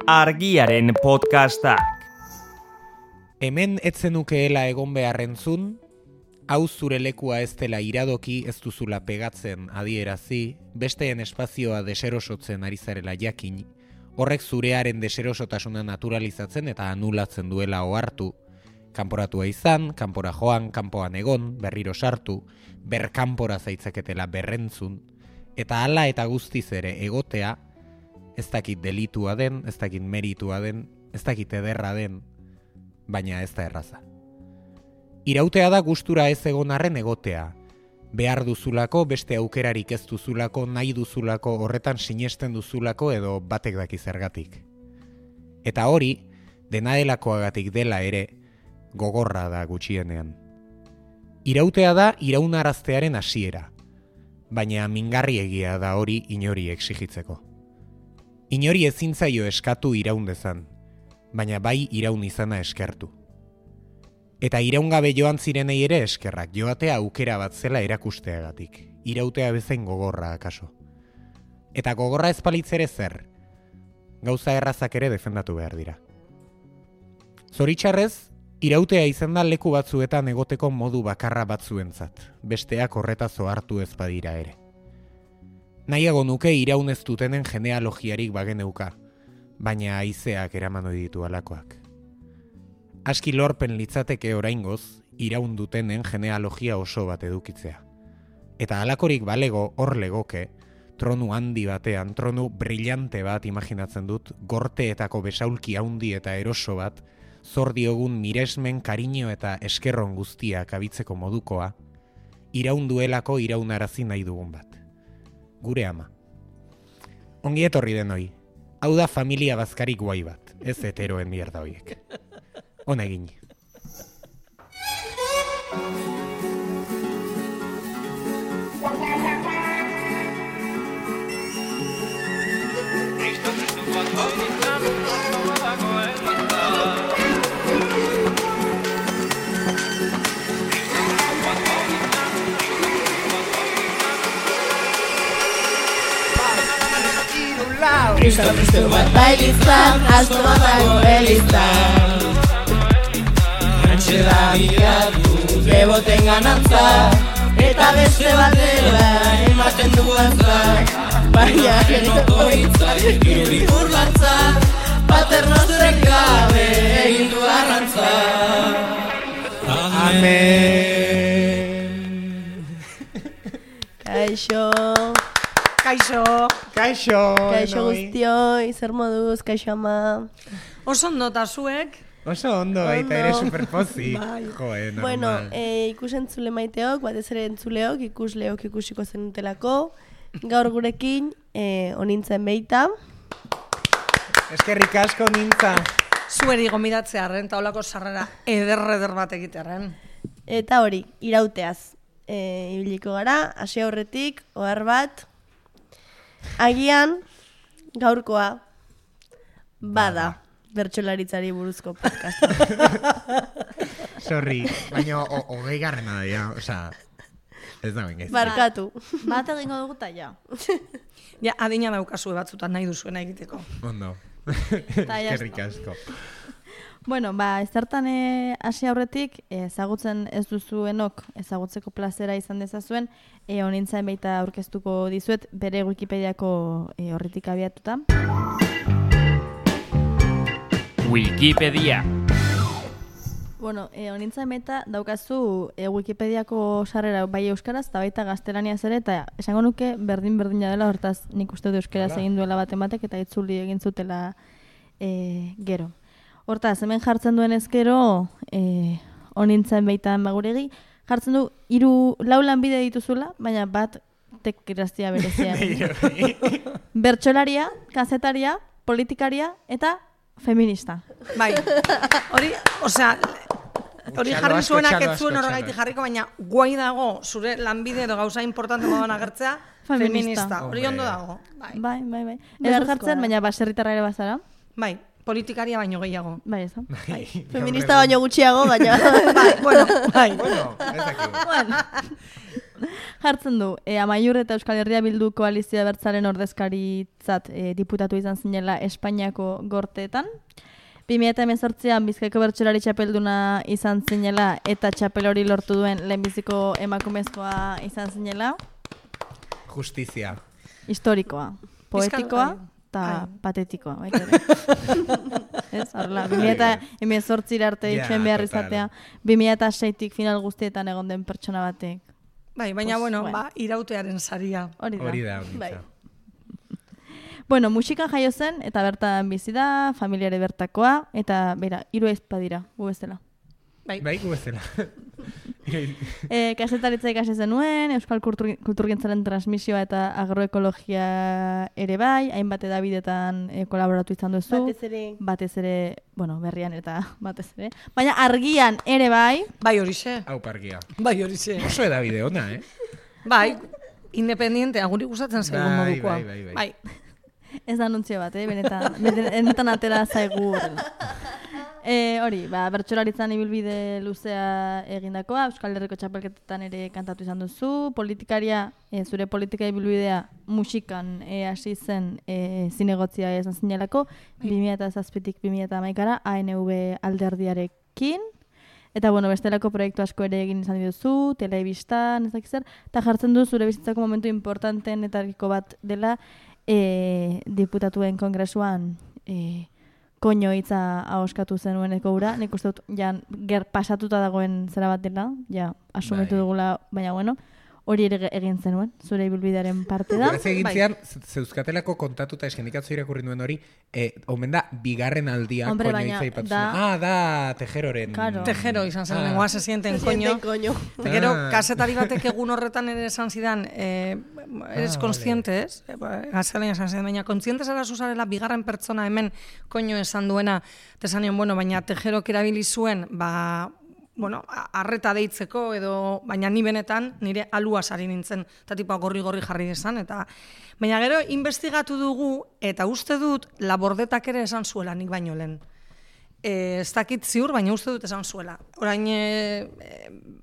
Argiaren podcastak. Hemen etzenukeela egon beharrentzun, hau zure lekua ez dela iradoki ez duzula pegatzen adierazi, besteen espazioa deserosotzen ari zarela jakin, horrek zurearen deserosotasuna naturalizatzen eta anulatzen duela ohartu, kanporatua izan, kanpora joan, kanpoan egon, berriro sartu, berkanpora zaitzaketela berrentzun, eta hala eta guztiz ere egotea, ez dakit delitua den, ez dakit meritua den, ez dakit ederra den, baina ez da erraza. Irautea da gustura ez egon arren egotea. Behar duzulako, beste aukerarik ez duzulako, nahi duzulako, horretan sinesten duzulako edo batek daki zergatik. Eta hori, dena delakoagatik dela ere, gogorra da gutxienean. Irautea da iraunaraztearen hasiera, baina mingarriegia da hori inori exigitzeko. Inori ezin zaio eskatu iraun dezan, baina bai iraun izana eskertu. Eta iraungabe joan zirenei ere eskerrak, joatea aukera bat zela erakusteagatik, irautea bezain gogorra akaso. Eta gogorra ez palitzere zer, gauza errazak ere defendatu behar dira. Zoritxarrez, irautea izan da leku batzuetan egoteko modu bakarra batzuentzat, besteak horretaz ohartu ez badira ere. Nahiago nuke iraun ez dutenen genealogiarik bageneuka, baina haizeak eraman ohi ditu alakoak. Aski lorpen litzateke oraingoz, iraun dutenen genealogia oso bat edukitzea. Eta halakorik balego hor legoke, tronu handi batean, tronu brillante bat imaginatzen dut, gorteetako besaulki handi eta eroso bat, zor diogun miresmen, kariño eta eskerron guztiak abitzeko modukoa, iraun duelako iraunarazi nahi dugun bat. Gure ama. Ongi etorri denoi. Hau da familia bazkarik guai bat, ez heteroen mierda hoiek. Ona egin. Kristo bat bailizan, asko badago elizan. Antxe da biatu, beboten ganantza, eta beste batera ematen du antza. Baina genoko hitzak, irudi burlantza, paternozrek gabe egin du arrantza. Amen. Kaixo. Kaixo. Kaixo guztioi, zer moduz, kaixo ama. Oso ondo eta zuek. Oso ondo, baita ere superpozik. Bai. Normal. Bueno, ikusentzule maiteok, batez ere entzuleok, ikusleok ikusiko zenutelako. Gaur gurekin, onintzen beita. Eskerrik asko nintza. Zueri gomidatzearen, taulako sarrera eder bat egitearen. Eta hori, irauteaz. Ibiliko gara, hasi aurretik, ohar bat. Agian, gaurkoa, bada, bertsolaritzari buruzko podcasta. Sorry, baina hogei garrena da, ja, osea, ez da bengez. Barkatu. Bat egingo dugu ta ja. Ja, adina daukazue batzutan nahi duzuena egiteko. Ondo. Ta ja Eskerrik asko. Bueno, ezertan hasi aurretik, ezagutzen ez duzuenok, ezagutzeko plazera izan dezazuen, honintzain baita aurkeztuko dizuet, bere Wikipediako horretik abiatuta. Wikipedia. Bueno, honintzain baita daukazu Wikipediako sarrera bai euskaraz, eta baita gaztelaniaz ere, eta esango nuke berdin-berdina dela, hortaz nik uste dut euskaraz egin duela baten batek, eta itzuli egin zutela gero. Hortaz, hemen jartzen duen ezkero, honintzen baitan baguregi, jartzen du 4 lanbide dituzula, baina bat tekiraztia berezia. Bertsolaria, kazetaria, politikaria eta feminista. Bai, hori, osea, hori jarri zuenak ez zuen horregaiti jarriko, baina guai dago zure lanbide edo gauza importante moduan agertzea, feminista. Hori ondo dago. Bai. Eder jartzen, baina baserritarra ere bazara. Bai. Politikaria baino gehiago. Bai, ez da. Feminista baino gutxiago, baina... Bai, bueno, Bueno, ez dakit. Jartzen du, Amaiur eta Euskal Herria Bildu koalizioa bertzaren ordezkaritzat diputatu izan zinela Espainiako gorteetan. 2018an Bizkaiko bertsolari txapelduna izan zinela eta txapel hori lortu duen lehenbiziko emakumezkoa izan zinela. Justizia. Historikoa, poetikoa eta patetikoa. Ez, horrela, 2018 arte itxuen behar izatea, 2006tik final guztietan egon den pertsona batek. Bai, baina, irautearen saria. Hori da. Bai. Bueno, musikan jaio zen, eta bertan bizi da, familiare bertakoa, eta, bera, 3 aizpa dira, gu bezala. Bai, gu bezala. Kasetaritza ikasi zenuen, Euskal Kulturgintzaren transmisioa eta agroekologia ere bai, hainbat edabidetan kolaboratu izan duzu. Batez ere, berrian eta batez ere. Baina argian ere bai. Bai horixe. Hau pargia. Bai horixe. Oso edabide ona, Bai, independiente, aguri gustatzen zaigun modukoa. Bai. Ez da anuntzio bat, benetan atera zaigu. Hori, bertsolaritzan ibilbide luzea egindakoa, Euskal Herriko txapelketetan ere kantatu izan duzu, politikaria, zure politika ibilbidea musikan hasi zen zinegotzia izan zinelako, 2007tik 2011ara ANV alderdiarekin, eta bestelako proiektu asko ere egin izan dituzu, telebistan, ez dakiz zer, eta jartzen du zure bizitzako momentu importanteenetariko bat dela diputatuen kongresuan koño hitza ahoskatu zenueneko ura, nik uste dut, pasatuta dagoen zera bat dela, asumitu dugula, baina hori ere egin zenuen, zure ibilbidearen parte da. Graz egin zian, zeuzkatelako kontatuta eskenikatzo irakurri nuen hori, omen da, bigarren aldia koño hitza ipatu zuen. Da, Tejeroren. Tejero izan zen, nengoa se sienten koño. Gero, kasetari batek egun horretan ere esan zidan, eres consciente, ez? Gazalean esan zidan, baina consciente zara zuzarela bigarren pertsona hemen koño esan duena, tesanion, baina Tejerok erabili zuen, arreta deitzeko edo, baina ni benetan nire alua sari nintzen, eta tipa gorri-gorri jarri desan, eta baina gero investigatu dugu, eta uste dut Labordetak ere esan zuela nik baino lehen. Ez dakit ziur, baina uste dut esan zuela. Orain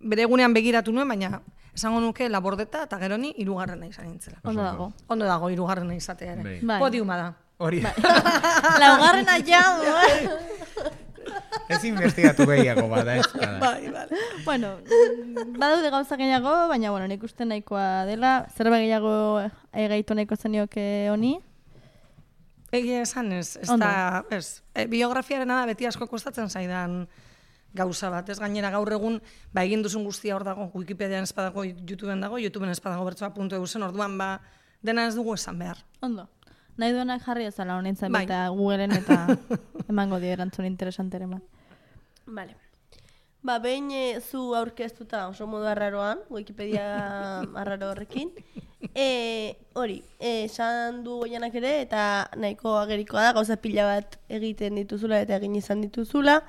bere egunean begiratu nuen, baina esango nuke Labordeta eta gero ni 3. izan nintzela. Ondo dago 3. izatea ere. Podiuma da. Hori. Laugarrena ja, Ez investigatu gehiago bada, ez kada. Bai. Badaude gauza gehiago, baina, nik uste nahikoa dela. Zerbait gehiago gaitu nahiko zenioke honi? Egia esan ez. Biografiarena da beti asko kostatzen zaidan gauza bat. Ez gainera gaur egun, egin duzun guztia hor dago, Wikipedian ez badago, YouTubeen dago, YouTubeen ez badago bertsoa.eu zen, orduan dena ez dugu esan behar. Ondo. Nahi duenak jarri ezala honintzen eta Googleen eta emango dio erantzun interesantere bat. Vale. Behin zu aurkeztuta oso modu arraroan, Wikipedia arraro horrekin, hori, esan du Goianak ere, eta nahiko agerikoa da, gauza pila bat egiten dituzula eta egin izan dituzula,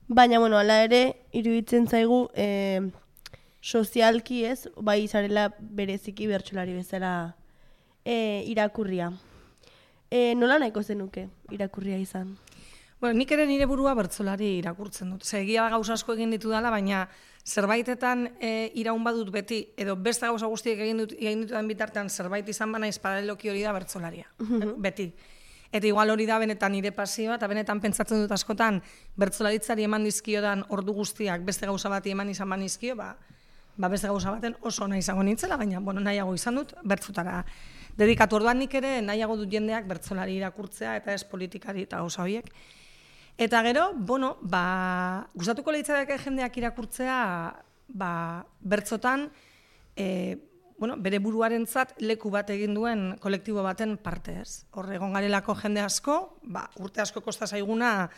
baina, hala ere, iruditzen zaigu sozialki ez, bai zarela bereziki bertsolari bezala irakurria. Nola nahiko zenuke irakurria izan? Nik ere nire burua bertsolari irakurtzen dut. Egia da gauza asko egin ditu dela, baina zerbaitetan iraun badut beti, edo beste gauza guztiek egin ditudan bitartean zerbait izan bana paraleloki hori da bertsolaria. Beti. Eta igual hori da benetan nire pasioa, eta benetan pentsatzen dut askotan bertsolaritzari eman dizkiodan ordu guztiak beste gauza bati eman izan banizkio, beste gauza baten oso nahi izango nintzela, baina nahiago izan dut bertzutara dedikatu. Orduan nik ere nahiago dut jendeak bertsolari irakurtzea eta ez politikari eta gauza horiek. Eta gero, gustatuko leitzadeke jendeak irakurtzea bertzotan bere buruarentzat leku bat egin duen kolektibo baten parte ez. Hor egon garelako jende asko, urte asko kosta zaiguna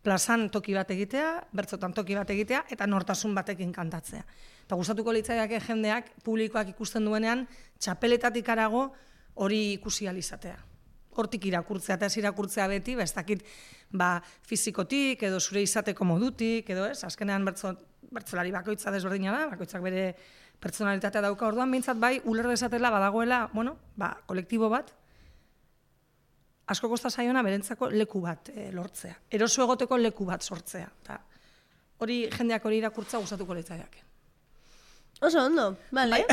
plazan toki bat egitea, bertzotan toki bat egitea, eta nortasun batekin kantatzea. Eta gustatuko leitzadeke jendeak publikoak ikusten duenean, txapeletatik harago hori ikusi alizatea. Hortik irakurtzea, eta ez irakurtzea beti, ez dakit fizikotik, edo zure izateko modutik, edo ez, azkenean bertsolari bakoitza desberdina da, bakoitzak bere pertsonalitatea dauka, orduan behintzat uler dezatela badagoela, kolektibo bat, asko kosta zaiona berentzako leku bat lortzea. Eroso egoteko leku bat sortzea. Hori jendeak hori irakurtza gustatuko leitzaiake. Oso ondo, bale.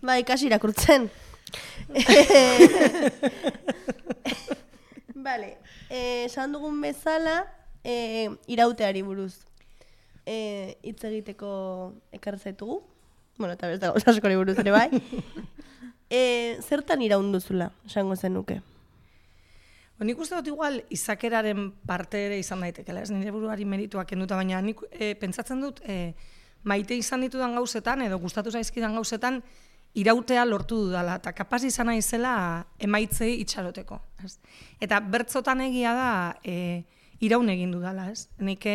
Bai, kasi irakurtzen. Bale, esan dugun bezala, irauteari buruz hitz egiteko ekarri zaitugu. Bueno, eta beste gauza askori buruz ere bai. Zertan iraunduzula, esango zenuke? Nik uste dut igual izakeraren parte ere izan daitekela, ez nire buruari merituak kenduta, baina nik pentsatzen dut maite izan ditudan gauzetan, edo gustatu zaizkidan gauzetan, irautea lortu dudala, eta kapaz izan naizela emaitzei itxaroteko. Ez? Eta bertzotan egia da iraun egin dudala, ez? Nik,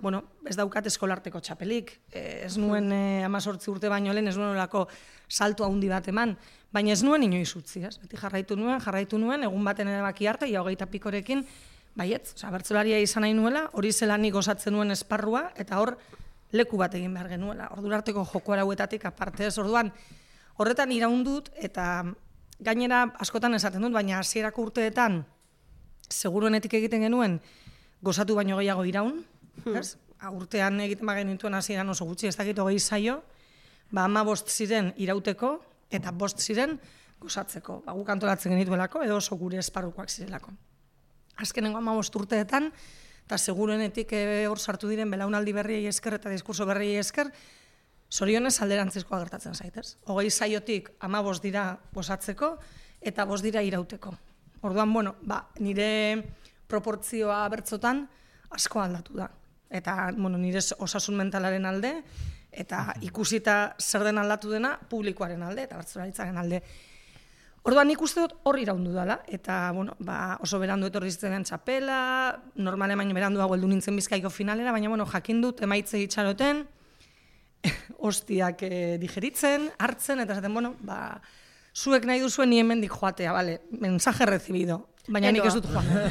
bueno, ez daukat eskolarteko txapelik, ez nuen 18 urte baino lehen, ez nuen olako salto handi bat eman, baina ez nuen inoiz utzi, ez? Beti jarraitu nuen, egun baten erabaki arte, ia 20 pikorekin, baietz, bertsolaria izan nahi nuela, hori zela nik osatzen nuen esparrua, eta hor leku bat egin behar genuela, ordurarteko joko arauetatik aparte ez, orduan, horretan iraundut, eta gainera askotan esaten dut, baina hasierako urteetan, seguruenetik egiten genuen, gozatu baino gehiago iraun, ez? Urtean egiten bagen nintuen hasieran oso gutxi, ez dakit 20 saio, 15 ziren irauteko, eta 5 ziren gozatzeko. Guk antolatzen genituelako, edo oso gure esparrukoak zirelako. Azkenengo 15 urteetan, eta seguruenetik hor sartu diren belaunaldi berriei esker eta diskurso berriei esker, zorionez alderantzizkoa gertatzen zaitez. 20 saiotik 15 dira gozatzeko, eta 5 dira irauteko. Orduan, bueno, nire proportzioa bertzotan asko aldatu da. Eta, bueno, nire osasun mentalaren alde, eta ikusita zer den aldatu dena, publikoaren alde, eta bertsolaritzaren alde. Orduan, nik uste dut hor iraundu dela, eta, bueno, oso berandu etorri zitzen txapela, normalen baino beranduago heldu nintzen Bizkaiko finalera, baina, bueno, jakin dut, emaitze itxaroten, hostiak digeritzen, hartzen, eta esaten, bueno, zuek nahi duzuen ni hemendik joatea, bale, mensaje recibido. Baina nik ez dut joan nahi.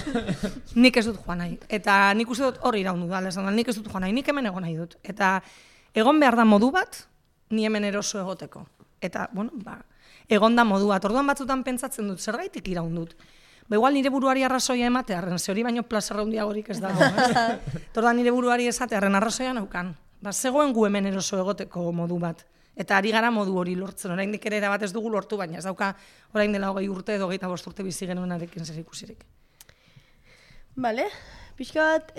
Nik ez dut joan nahi. Eta nik uste dut hor iraundu da, nik ez dut joan nahi, nik hemen egon nahi dut. Eta egon behar da modu bat, ni hemen eroso egoteko. Eta, bueno, egon da modu bat. Orduan batzutan pentsatzen dut, zergaitik iraundut. Igual nire buruari arrazoia ematearren, ze hori baino plazarra hundiagorik ez dago. Orduan nire buruari esatearren arrazoia naukan. Zegoen gu hemen eroso egoteko modu bat. Eta ari gara modu hori lortzen, oraindik ere erabat ez dugu lortu, baina ez dauka orain dela 20 urte edo 25 urte bizi genuenarekin zer ikusirik. Bale, pixka bat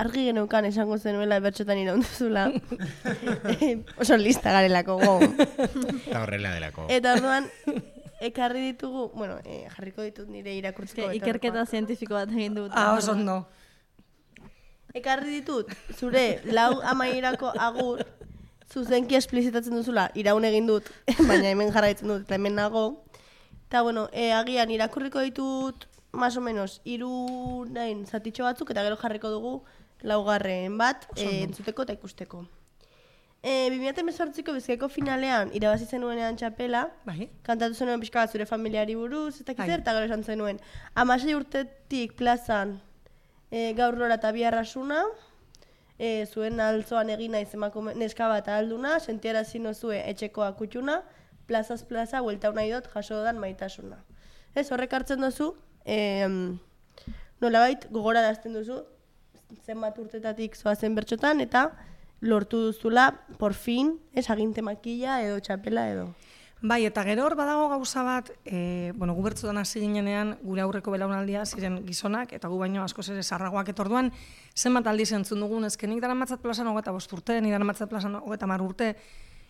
argi geneukan esango zenuela bertxotan iraunduzula. Oso lista garelako, Eta horrela delako. Eta orduan, ekarri ditugu, bueno, jarriko ditut nire irakurtzeko. Ikerketa zientifiko bat egin dut. Oso ondo. Ekarri ditut, zure lau amaierako agur, zuzenki esplizitatzen duzula, iraun egin dut, baina hemen jarraitzen dut, eta hemen nago. Eta, bueno, agian irakurriko ditut, más o menos, 3 zatitxo batzuk, eta gero jarriko dugu laugarren bat, entzuteko eta ikusteko. 2018ko Bizkaiko finalean, irabazi zenuenean txapela, kantatu zenuen pixka bat zure familiari buruz, eta gero esan zenuen. 16 urtetik plazan gaur lora eta biharrasuna, zuen altzoan egin naiz neska bat alduna, sentiarazi nozue etxekoa kutxuna, plazaz plaza, huelta nahi dut, jaso dan maitasuna. Ez, horrek hartzen duzu, nolabait gogorarazten duzu, zenbat urtetatik zoazen bertxotan, eta lortu duzula, por fin, aginte makila edo txapela edo. Bai, eta gero hor badago gauza bat, bueno, gu bertzutan hasi ginenean, gure aurreko belaunaldia ziren gizonak, eta gu baino askoz ere zarragoak, eta orduan, zenbat aldiz entzun dugun, nik dara matzat plazan 25 urte, nik dara matzat plazan 30 urte,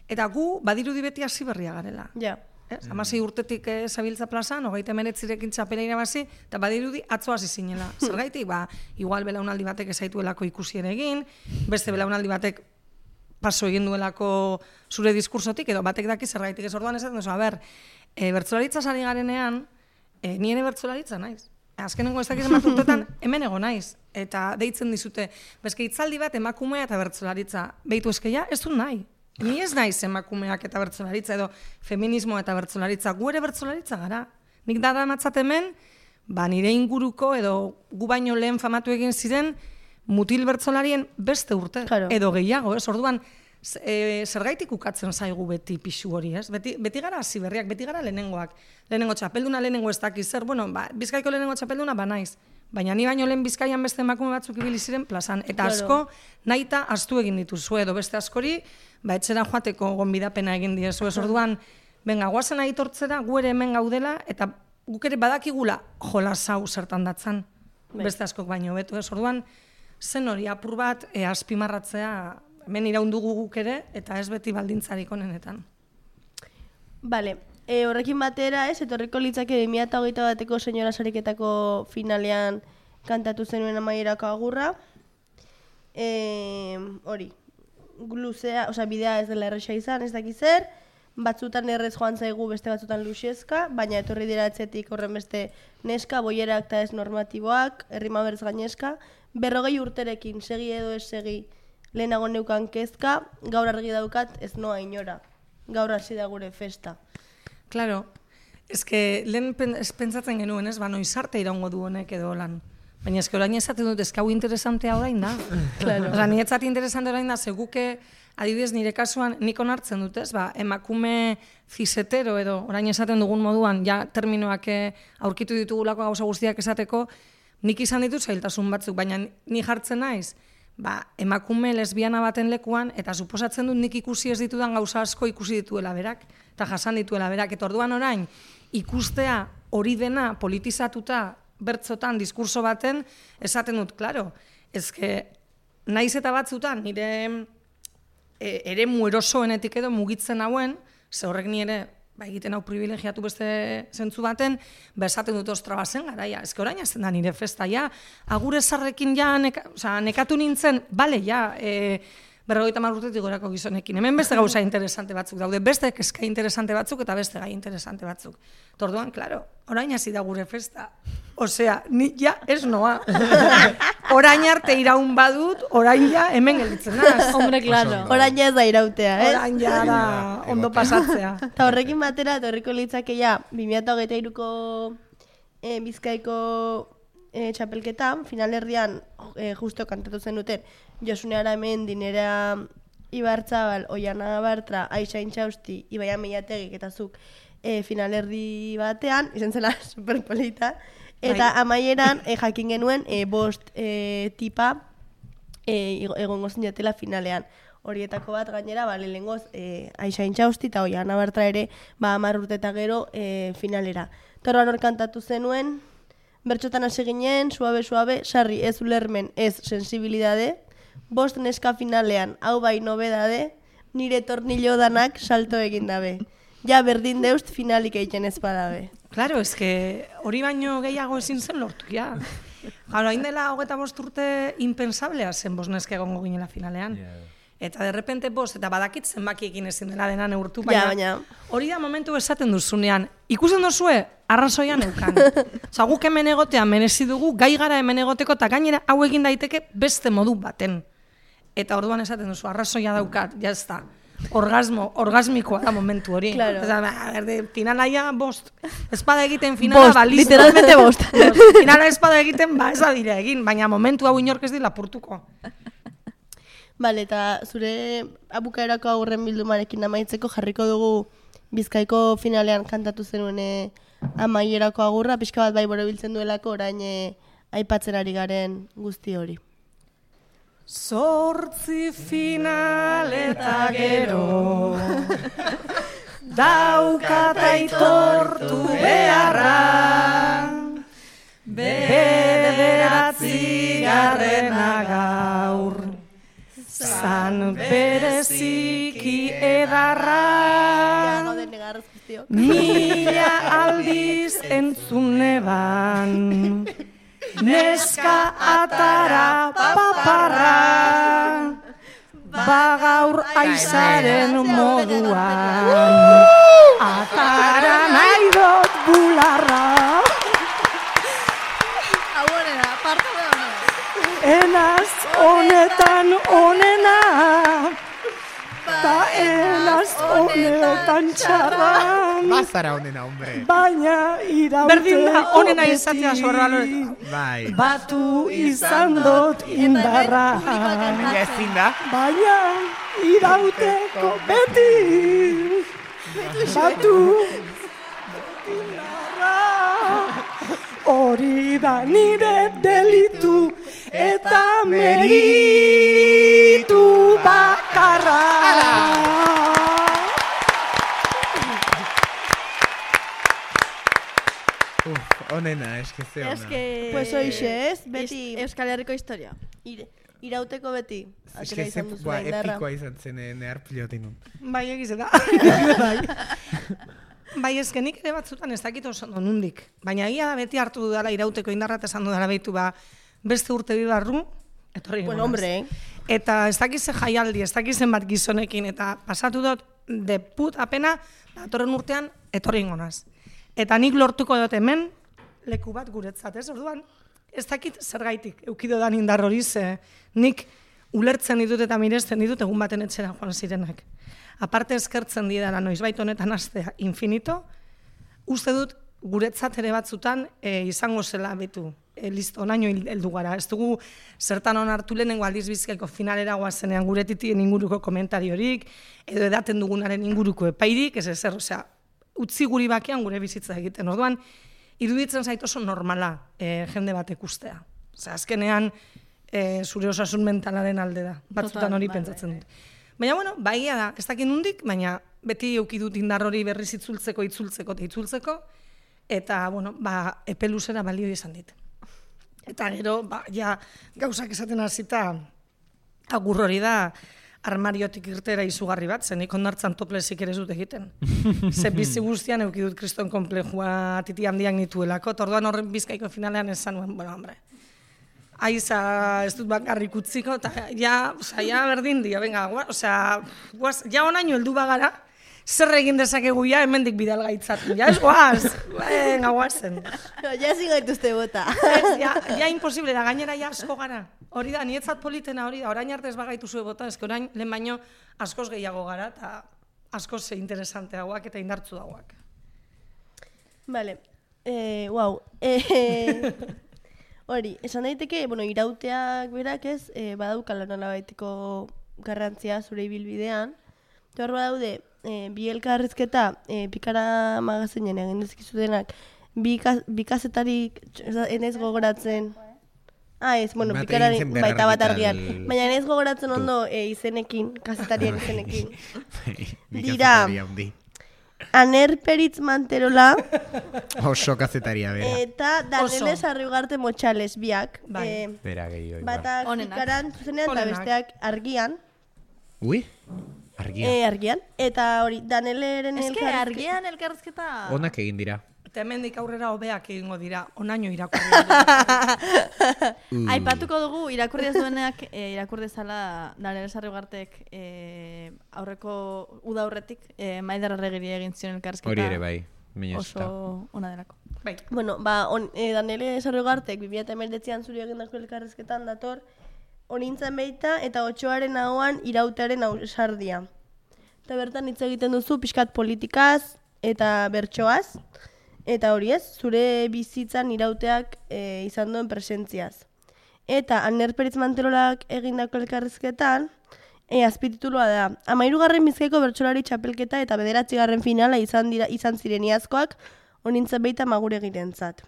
eta gu badirudi beti hasi berria garela. Ja. 16 urtetik zabiltza plazan, 29rekin txapela irabazi, eta badirudi atzo hasi zinela. Zergaitik, igual belaunaldi batek ezaituelako ikusi ere egin, beste belaunaldi batek paso egin duelako zure diskursotik, edo batek daki zergaitik ez orduan esaten duzu, bertsolaritza sari garenean, ni ere bertsolaritza naiz. Azkenengo ez dakiz bat urtetan, hemen ego naiz. Eta deitzen dizute, bezke hitzaldi bat emakumea eta bertsolaritza. Beitu eskeia, ez du nahi. Ni ez naiz emakumeak eta bertsolaritza, edo feminismo eta bertsolaritza. Gu ere bertsolaritza gara. Nik dara matzat hemen, nire inguruko, edo gu baino lehen famatu egin ziren, mutil bertsolarien beste urte, edo gehiago, ez? Orduan, zergaitik ukatzen zaigu beti pixu hori, ez? Beti gara hasi berriak, beti gara lehenengoak. Lehenengo txapelduna, lehenengo ez dakiz zer, bueno, Bizkaiko lehenengo txapelduna, naiz. Baina ni baino lehen Bizkaian beste emakume batzuk ibili ziren plazan. Eta asko nahita astu egin dituzue, edo beste askori, etxera joateko gonbidapena egin diezu. Ez orduan, benga, guazen aitortzera, gu ere hemen gaudela, eta guk ere badakigula jolasau zertan datzan. Beste askok baino betu. Ez orduan, zen hori apur bat azpimarratzea, hemen iraundugu guk ere, eta ez beti baldintzarik onenetan. Bale, horrekin batera etorriko litzake 2021 bateko senyora sariketako finalean kantatu zenuen amaierako agurra. Hori, luzea, bidea ez dela erresa izan, ez dakiz zer, batzutan errez joan zaigu, beste batzutan luxezka, baina etorri dira etxetik horren beste neska, boierak eta ez normatiboak, errima berz gainezka, 40 urterekin, segi edo ez segi, lehenago neukan kezka, gaur argi daukat ez noa inora. Gaur hasi da gure festa. Claro, lehen pentsatzen genuen, ez, noizarte iraungo du honek edo lan. Baina orain esaten dut, hau interesantea orain da. Claro. Niretzat interesante orain da, seguke, adibidez nire kasuan, nik onartzen dut, ez, emakume zisetero edo, orain esaten dugun moduan, ja terminoak aurkitu ditugulako gauza guztiak esateko, nik izan ditut zailtasun batzuk, baina ni jartzen naiz, emakume lesbiana baten lekuan, eta suposatzen dut nik ikusi ez ditudan gauza asko ikusi dituela berak, eta jasan dituela berak, eta orduan orain, ikustea hori dena politizatuta bertzotan, diskurso baten, esaten dut, klaro, naiz eta batzutan, nire eremu erosoenetik edo mugitzen hauen, ze horrek ni ere, egiten hau privilegiatu beste zentzu baten, esaten dut ostra bazen garaia. Orain azten da nire festa, ja, agure zarrekin ja, nekatu nintzen, bale, ja, 50 urtetik gorako gizonekin. Hemen beste gauza interesante batzuk daude, beste kezka interesante batzuk eta beste gai interesante batzuk. Torduan, klaro, orain hasi da gure festa. Osea, ni ja ez noa. Orain arte iraun badut, orain ja hemen gelditzen naz. Hombre, claro. Orain ja ez da irautea, ez? Orain ja da ondo pasatzea. Eta horrekin batera, etorriko litzake ja, 2023ko Bizkaiko txapelketan, finalerdian justo kantatu zen duten, Josune Aramendi, Nerea Ibarzabal, Oiana Bartra, Aixa Intxausti, Ibaia Meiategik eta zuk finalerdi batean, izan zela superpolita, eta amaieran jakin genuen bost tipa egongo zinatela finalean. Horietako bat gainera, lehengoz Aixa Intxausti eta Oiana Bartra ere 10 urte eta gero finalera. Torroan hor kantatu zenuen, bertxotan hasi ginen, suabe, sarri ez ulermen ez sensibilidade, bost neska finalean, hau bai nobedade, nire tornillo danak salto egin dabe. Ja berdin deust finalik egiten ez badabe. Claro, hori baino gehiago ezin zen lortu, ja. Gaur, hain dela 25 urte impensablea zen bost neska egongo ginela finalean. Eta derrepente bost, eta badakit zenbakiekin ezin dela dena neurtu, baina hori da momentu esaten duzunean. Ikusten duzue, arrazoian eukan. Guk hemen egotea merezi dugu, gai gara hemen egoteko, eta gainera hau egin daiteke beste modu baten. Eta orduan esaten duzu, arrazoia daukat, jazta. Orgasmikoa da momentu hori. Claro. Finalaia bost. Espada egiten finala baliz. Literalmente bost. Finala espada egiten, ez da dira egin, baina momentu hau inork ez dila lapurtuko. Bale, eta zure abukaerako aurren bildumarekin amaitzeko jarriko dugu Bizkaiko finalean kantatu zenuen amaierako agurra, pixka bat bai borobiltzen duelako orain aipatzen ari garen guzti hori. 8 final eta gero daukat aitortu beharra 9. gaur zan bereziki edarra mila aldiz entzuneban neska atara paparra bagaur aizaren moduan atara nahi dut bularra enaz honetan onena ta enaz honetan txarra Bazara onena, hombre. Baina irauteko Berdin da, onena izatea zorra Bai. Batu izan dut indarra Baina ezin da. Baina irauteko beti Batu indarra hori da nire delitu eta meritu bakarra. Onena, eskeze ona. Pues hoxe, ez? Beti Euskal Herriko historia. irauteko beti. Atera izan duzu indarra. Epikoa izan zen nehar pilotinun. Bai, egize da. Bai, ezkenik ere batzutan ez dakit oso nondik. Baina egia da beti hartu dudala irauteko indarra eta esan dudala behitu beste urte bi barru, etorri Bueno, hombre, Eta ez dakize jaialdi, ez dakizen bat gizonekin, eta pasatu dut deput apena, datorren urtean etorri ingonaz. Eta nik lortuko dut hemen, leku bat guretzat, ez? Orduan, ez dakit zergaitik, eukido dan indar hori ze, nik ulertzen ditut eta miresten ditut egun baten etxera joan zirenak. Aparte eskertzen didala noizbait honetan astea infinito, uste dut guretzat ere batzutan izango zela betu. Listo, onaino heldu gara. Ez dugu zertan onartu lehenengo aldiz Bizkaiko finalera goazenean gure titien inguruko komentariorik, edo edaten dugunaren inguruko epairik, ez ezer, osea, utzi guri bakean gure bizitza egiten. Orduan, iruditzen zait oso normala jende batek ustea. Osea, azkenean zure osasun mentalaren alde da. Batzutan hori pentsatzen dut. Baina, bueno, baia da, ez dakit nondik, baina beti eduki dut indar hori berriz itzultzeko, eta, bueno, epe luzera balio izan dit. Eta gero, ja, gauzak esaten hasita agur hori da, armariotik irtera izugarri bat, zenik ondartzan toplesik ere zut egiten. Ze bizi guztian euki dut kriston konplejua titi handiak nituelako, orduan horren Bizkaiko finalean esan nuen, bueno, hombre, aiza ez dut bakarrik utziko, eta ja berdin dio, venga, ja onaino heldu bagara, zer egin dezakegu ja hemendik bidal gaitzatu, ja ez goaz, venga, goazen. Ja ezin gaituzte bota. Ja imposible da, gainera ja asko gara. Hori da, nietzat politena hori da, orain arte ez bagaitu zuen bota, ezke orain lehen baino askoz gehiago gara, eta askoz interesanteagoak eta indartzu dagoak. Vale, wow. Hori, esan daiteke, bueno, irauteak berak ez, badaukala nolabaiteko garrantzia zure ibilbidean. Eta hor badaude, bi elkarrizketa Pikara magazinen egin dezkizutenak, bi kazetarik enez gogoratzen. Ez, bueno, Pikarari baita bat argian. Baina enez gogoratzen ondo izenekin, kazetarien izenekin. Dira, Aner Peritz Manterola oso kazetaria bera. eta Danele Sarriugarte Motxales biak. Bera gehiago. Batak Pikaran zuzenean eta besteak argian. Ui? Argian. Argian. Eta hori, Daneleren elkarrizketa. Argian elkarrizketa. Onak egin dira. Eta hemendik aurrera hobeak egingo dira, onaino irakurri. Aipatuko dugu irakurri ez duenak irakurri dezala Danele Sarriugartek aurreko uda aurretik Maider Arregiri egin zion elkarrizketa. Hori ere bai, oso ona delako. Bai. Bueno, Danele Sarriugartek 2019an zuri egindako elkarrizketan dator, onintzen beita eta 8aren ahoan irautearen ausardia. Eta bertan hitz egiten duzu pixkat politikaz eta bertsoaz. Eta hori ez, zure bizitzan irauteak izan duen presentziaz. Eta Aner Peritz Manterolak egindako elkarrizketan, azpititulua da, 13. Bizkaiko bertsolari txapelketa eta 9. finala izan ziren iazkoak, onintzen beita maguregirentzat.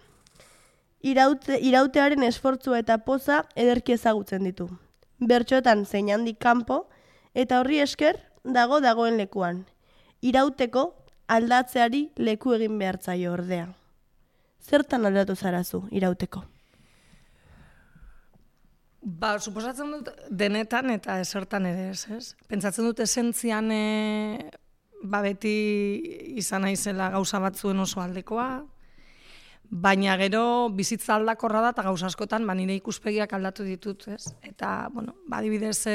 Irautearen esfortzua eta poza ederki ezagutzen ditu. Bertxoetan zein handik kanpo, eta horri esker dagoen lekuan. Irauteko aldatzeari leku egin behartzaio ordea. Zertan aldatu zarazu irauteko? Suposatzen dut denetan eta esertan ere ez? Pentsatzen dut esentzian beti izan naizela gauza batzuen oso aldekoa, baina gero bizitza aldakorra da eta gauza askotan nire ikuspegiak aldatu ditut, ez? Eta, bueno, adibidez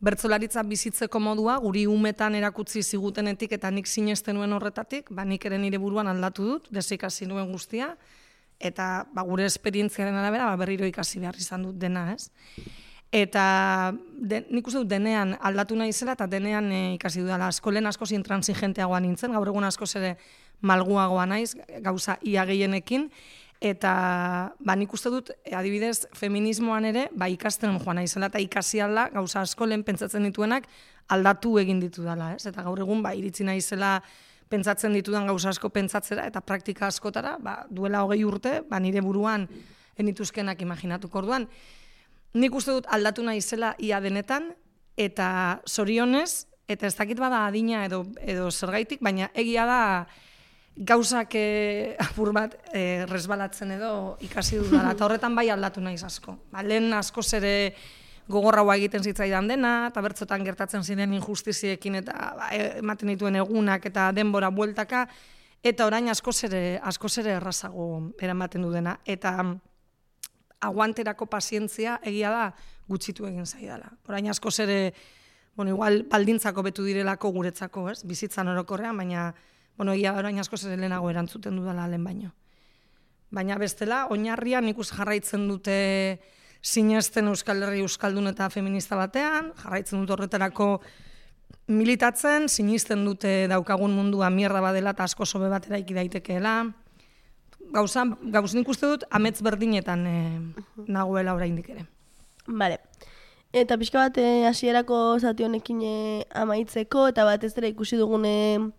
bertsolaritza bizitzeko modua, guri umetan erakutsi zigutenetik eta nik sinesten nuen horretatik, nik ere nire buruan aldatu dut, desikasi nuen guztia, eta gure esperientziaren arabera berriro ikasi behar izan dut dena, ez? Eta nik uste dut denean aldatu nahi zela eta denean ikasi dudala. Lehen askoz intransigenteagoa nintzen, gaur egun askoz ere malguagoa naiz, gauza ia gehienekin, eta nik uste dut, adibidez, feminismoan ere, ikasten joan naizela eta ikasi alda, gauza asko lehen pentsatzen dituenak aldatu egin ditu dela, ez? Eta gaur egun iritsi naizela pentsatzen ditudan gauza asko pentsatzera eta praktika askotara, duela 20 urte, nire buruan enituzkenak imaginatuko orduan. Nik uste dut aldatu nahi zela ia denetan, eta zorionez, eta ez dakit bada adina edo zergaitik, baina egia da gauzak apur bat resbalatzen edo ikasi dudala, eta horretan bai aldatu naiz asko. Lehen askoz ere gogorraua egiten zitzaidan dena, eta bertzotan gertatzen ziren injustiziekin eta ematen dituen egunak eta denbora bueltaka, eta orain askoz ere errazago eramaten du dena. Eta aguanterako pazientzia egia da gutxitu egin zaidala. Orain askoz ere, igual baldintzako betu direlako guretzako, ez? Bizitzan orokorrean, baina egia orain askoz ere lehenago erantzuten dudala lehen baino. Baina bestela, oinarrian ikus jarraitzen dute sinesten Euskal Herri euskaldun eta feminista batean, jarraitzen dut horretarako militatzen, sinisten dute daukagun mundua mierda badela eta asko sobe bat eraiki daitekeela. Gauz nik uste dut amets berdinetan nagoela oraindik ere. Bale. Eta pixka bat hasierako zati honekin amaitzeko, eta bat ez dira ikusi dugune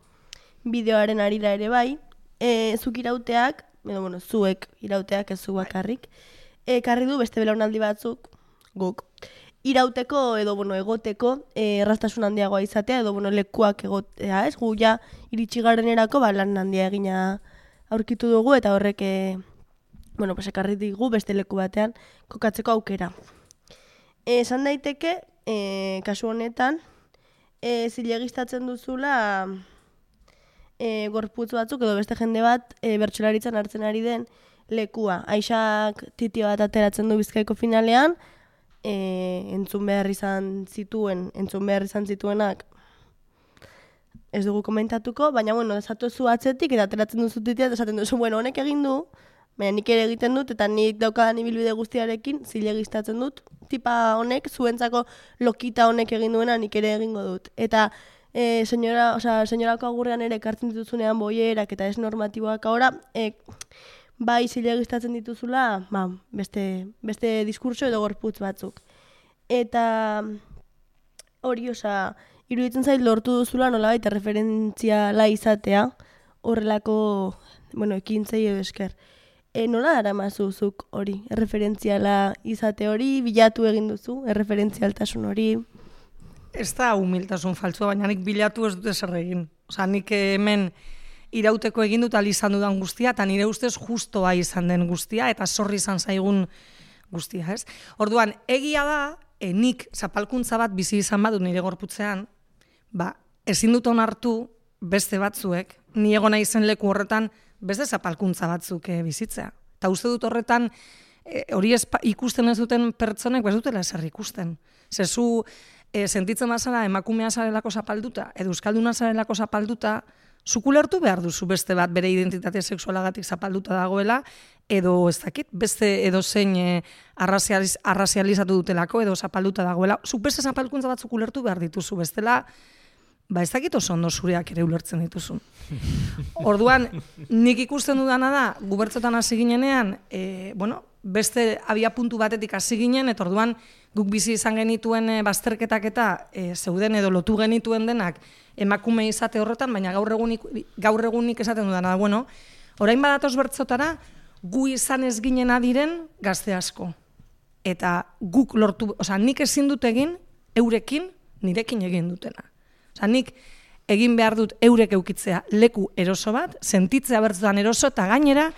bideoaren arira ere bai, zuk irauteak, zuek irauteak ez zu bakarrik, ekarri du beste belaunaldi batzuk, guk, irauteko edo egoteko erraztasun handiagoa izatea edo lekuak egotea, ez? Gu ja iritsi garenerako lan handia egina aurkitu dugu eta horrek ekarri digu beste leku batean kokatzeko aukera. Esan daiteke, kasu honetan, zilegistatzen duzula gorputz batzuk edo beste jende bat bertsolaritzan hartzen ari den lekua. Aixak titio bat ateratzen du Bizkaiko finalean, entzun behar izan zituenak ez dugu komentatuko, baina desatu zu atzetik eta ateratzen duzu titia eta esaten duzu, honek egin du, baina nik ere egiten dut eta nik daukadan ibilbide guztiarekin zilegistatzen dut, tipa honek, zuentzako lokita honek egin duena nik ere egingo dut. Eta señorako agurrean ere ekartzen dituzunean boierak eta ez normatiboak ahora, bai zilegistatzen dituzula, beste diskurso edo gorputz batzuk. Eta hori, iruditzen zait lortu duzula nolabait referentziala izatea, horrelako, ekintzei edo esker. Nola daramazuzuk hori, referentziala izate hori, bilatu egin duzu, referentzialtasun hori? Ez da humiltasun faltsua, baina nik bilatu ez dute zer egin. Nik hemen irauteko egin dut izan dudan guztia, eta nire ustez justoa izan den guztia, eta zorri izan zaigun guztia, ez? Orduan, egia da, nik zapalkuntza bat bizi izan badut nire gorputzean, ezin dut onartu beste batzuek, ni egon naizen leku horretan beste zapalkuntza batzuk bizitzea. Eta uste dut horretan, hori ikusten ez duten pertsonek, ez dutela ezer ikusten. Zezu, sentitzen bazara emakumea zarelako zapalduta, edo euskalduna zarelako zapalduta, zukulertu behar duzu beste bat bere identitate sexualagatik zapalduta dagoela, edo ez dakit, beste edo zein arrazializatu dutelako, edo zapalduta dagoela. Zuk beste zapalkuntza bat zukulertu behar dituzu, bestela, ez dakit oso ondo zureak ere ulertzen dituzun. Orduan, nik ikusten dudana da, gubertzotan hasi ginenean, beste abiapuntu batetik hasi ginen, eta orduan guk bizi izan genituen bazterketak eta zeuden edo lotu genituen denak emakume izate horretan, baina gaur egunik esaten dudana da, orain badatoz bertzotara, gu izan ez ginen adiren gazte asko. Eta guk lortu, nik ezin dut egin, eurekin, nirekin egin dutena. Nik egin behar dut eurek eukitzea leku eroso bat, sentitzea bertzotan eroso, eta gainera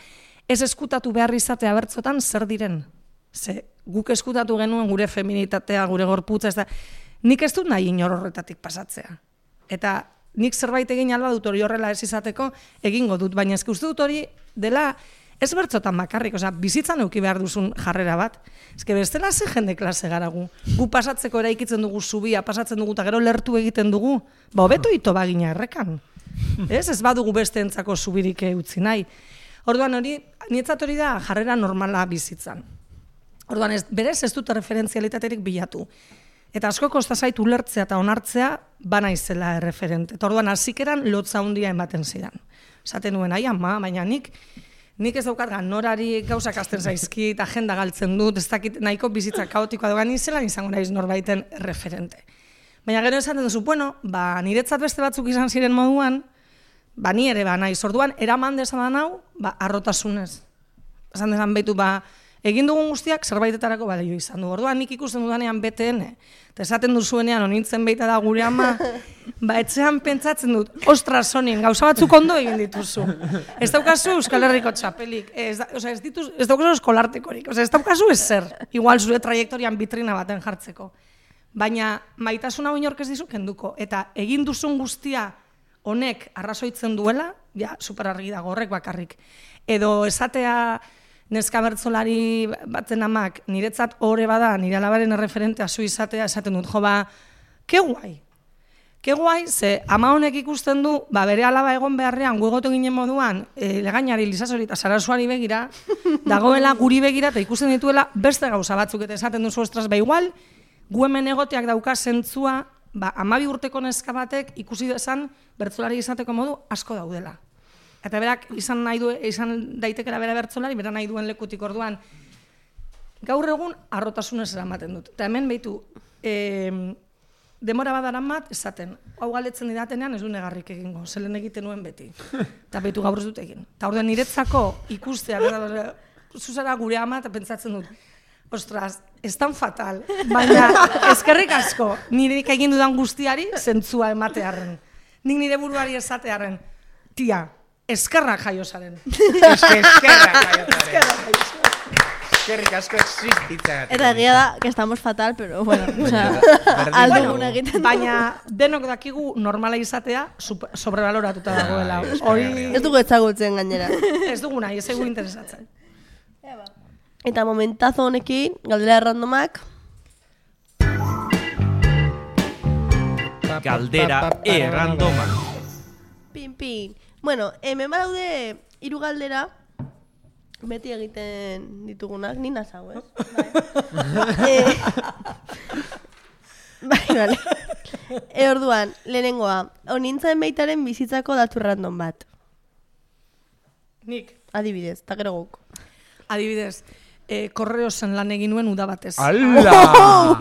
ez eskutatu behar izatea bertzotan zer diren. Guk eskutatu genuen gure feminitatea, gure gorputza, nik ez dut nahi inor horretatik pasatzea. Eta nik zerbait egin alba dut hori horrela ez izateko egingo dut, baina ez uste dut hori dela ez bertzotan bakarrik, bizitzan euki behar duzun jarrera bat. Ez bestela ze jende klase gara gu. Gu pasatzeko eraikitzen dugu zubia, pasatzen dugu eta gero lertu egiten dugu, hobeto ito bagina errekan. Ez badugu beste entzako zubirik utzi nahi. Orduan hori, nietzat hori da jarrera normala bizitzan. Orduan berez ez dute referentzialitaterik bilatu. Eta asko kosta zait ulertzea eta onartzea bana izela erreferente. Eta orduan hasikeran lotza handia ematen zidan. Esaten nuen, baina nik ez daukat norari gauzak hasten zaizki eta agenda galtzen dut, ez dakit nahiko bizitza kaotikoa dogan izelan izango naiz norbaiten referente. Baina gero esaten duzu, niretzat beste batzuk izan ziren moduan, Ba, ni ere ba naiz. Orduan, eraman dezadan hau, ba, arrotasunez. Esan dezan behitu, ba, egin dugun guztiak zerbaitetarako balio izan du. Orduan, nik ikusten dudanean BTN, eta esaten duzuenean, onintzen beita da gure ama, ba, etxean pentsatzen dut, ostras, sonin, gauza batzuk ondo egin dituzu. Ez daukazu Euskal Herriko txapelik, ez daukazu eskolartekorik, ez daukazu ezer, igual zure trajektorian bitrina baten jartzeko. Baina, maitasuna inork ez dizu kenduko, eta egin duzun guztia honek arrazoitzen duela, ja, superargi dago horrek bakarrik. Edo esatea neska bertsolari baten amak, niretzat ore bada, nire alabaren erreferentea zu izatea, esaten dut, jo ba, ke guai, ze ama honek ikusten du, ba, bere alaba egon beharrean, guegotu ginen moduan, Legainari, Lisasori eta Sarasuari begira, dagoela guri begira, eta ikusten dituela beste gauza batzuk, eta esaten duzu ostras, ba, igual, gu hemen egoteak dauka zentzua, ba, 12 urteko neska batek ikusi dezan bertsolari izateko modu asko daudela. Eta berak izan daitekela bere bertsolari, bera nahi duen lekutik orduan. Gaur egun arrotasunez eramaten dut. Eta hemen behitu, demora badaran bat esaten. Hau galdetzen didatenean ez du negarrik egingo, zelen egiten nuen beti. Eta behitu gaur ez dut egin. Eta orduan niretzako ikustea, zuzara gure ama eta pentsatzen dut. Ostras, ez tan fatal, baina eskerrik asko nireik egin dudan guztiari zentzua ematearren. Nik nire buruari esatearren, tia, eskerrak jaiosaren. Eskerrak jaiosaren. Eskerrik asko existitzagatik. Eta egia da, que estamos fatal, pero bueno, o sea, alduguna egiten. Baina denok dakigu normala izatea sobrevaloratuta dagoela. Hori Ez dugu ezagutzen gainera. ez dugu nahi, ez egu interesatzen. Eta momentazo honekin, galdera errandomak, Galdera errandoma. pin. Bueno, hemen badaude 3 galdera, beti egiten ditugunak, ni nazau, ez? Vale. Orduan, lehenengoa, honintzen beitaren bizitzako datu random bat. Nik, Adibidez, eta gero guk. adibidez, korreosen lan egin nuen uda batez. Ala!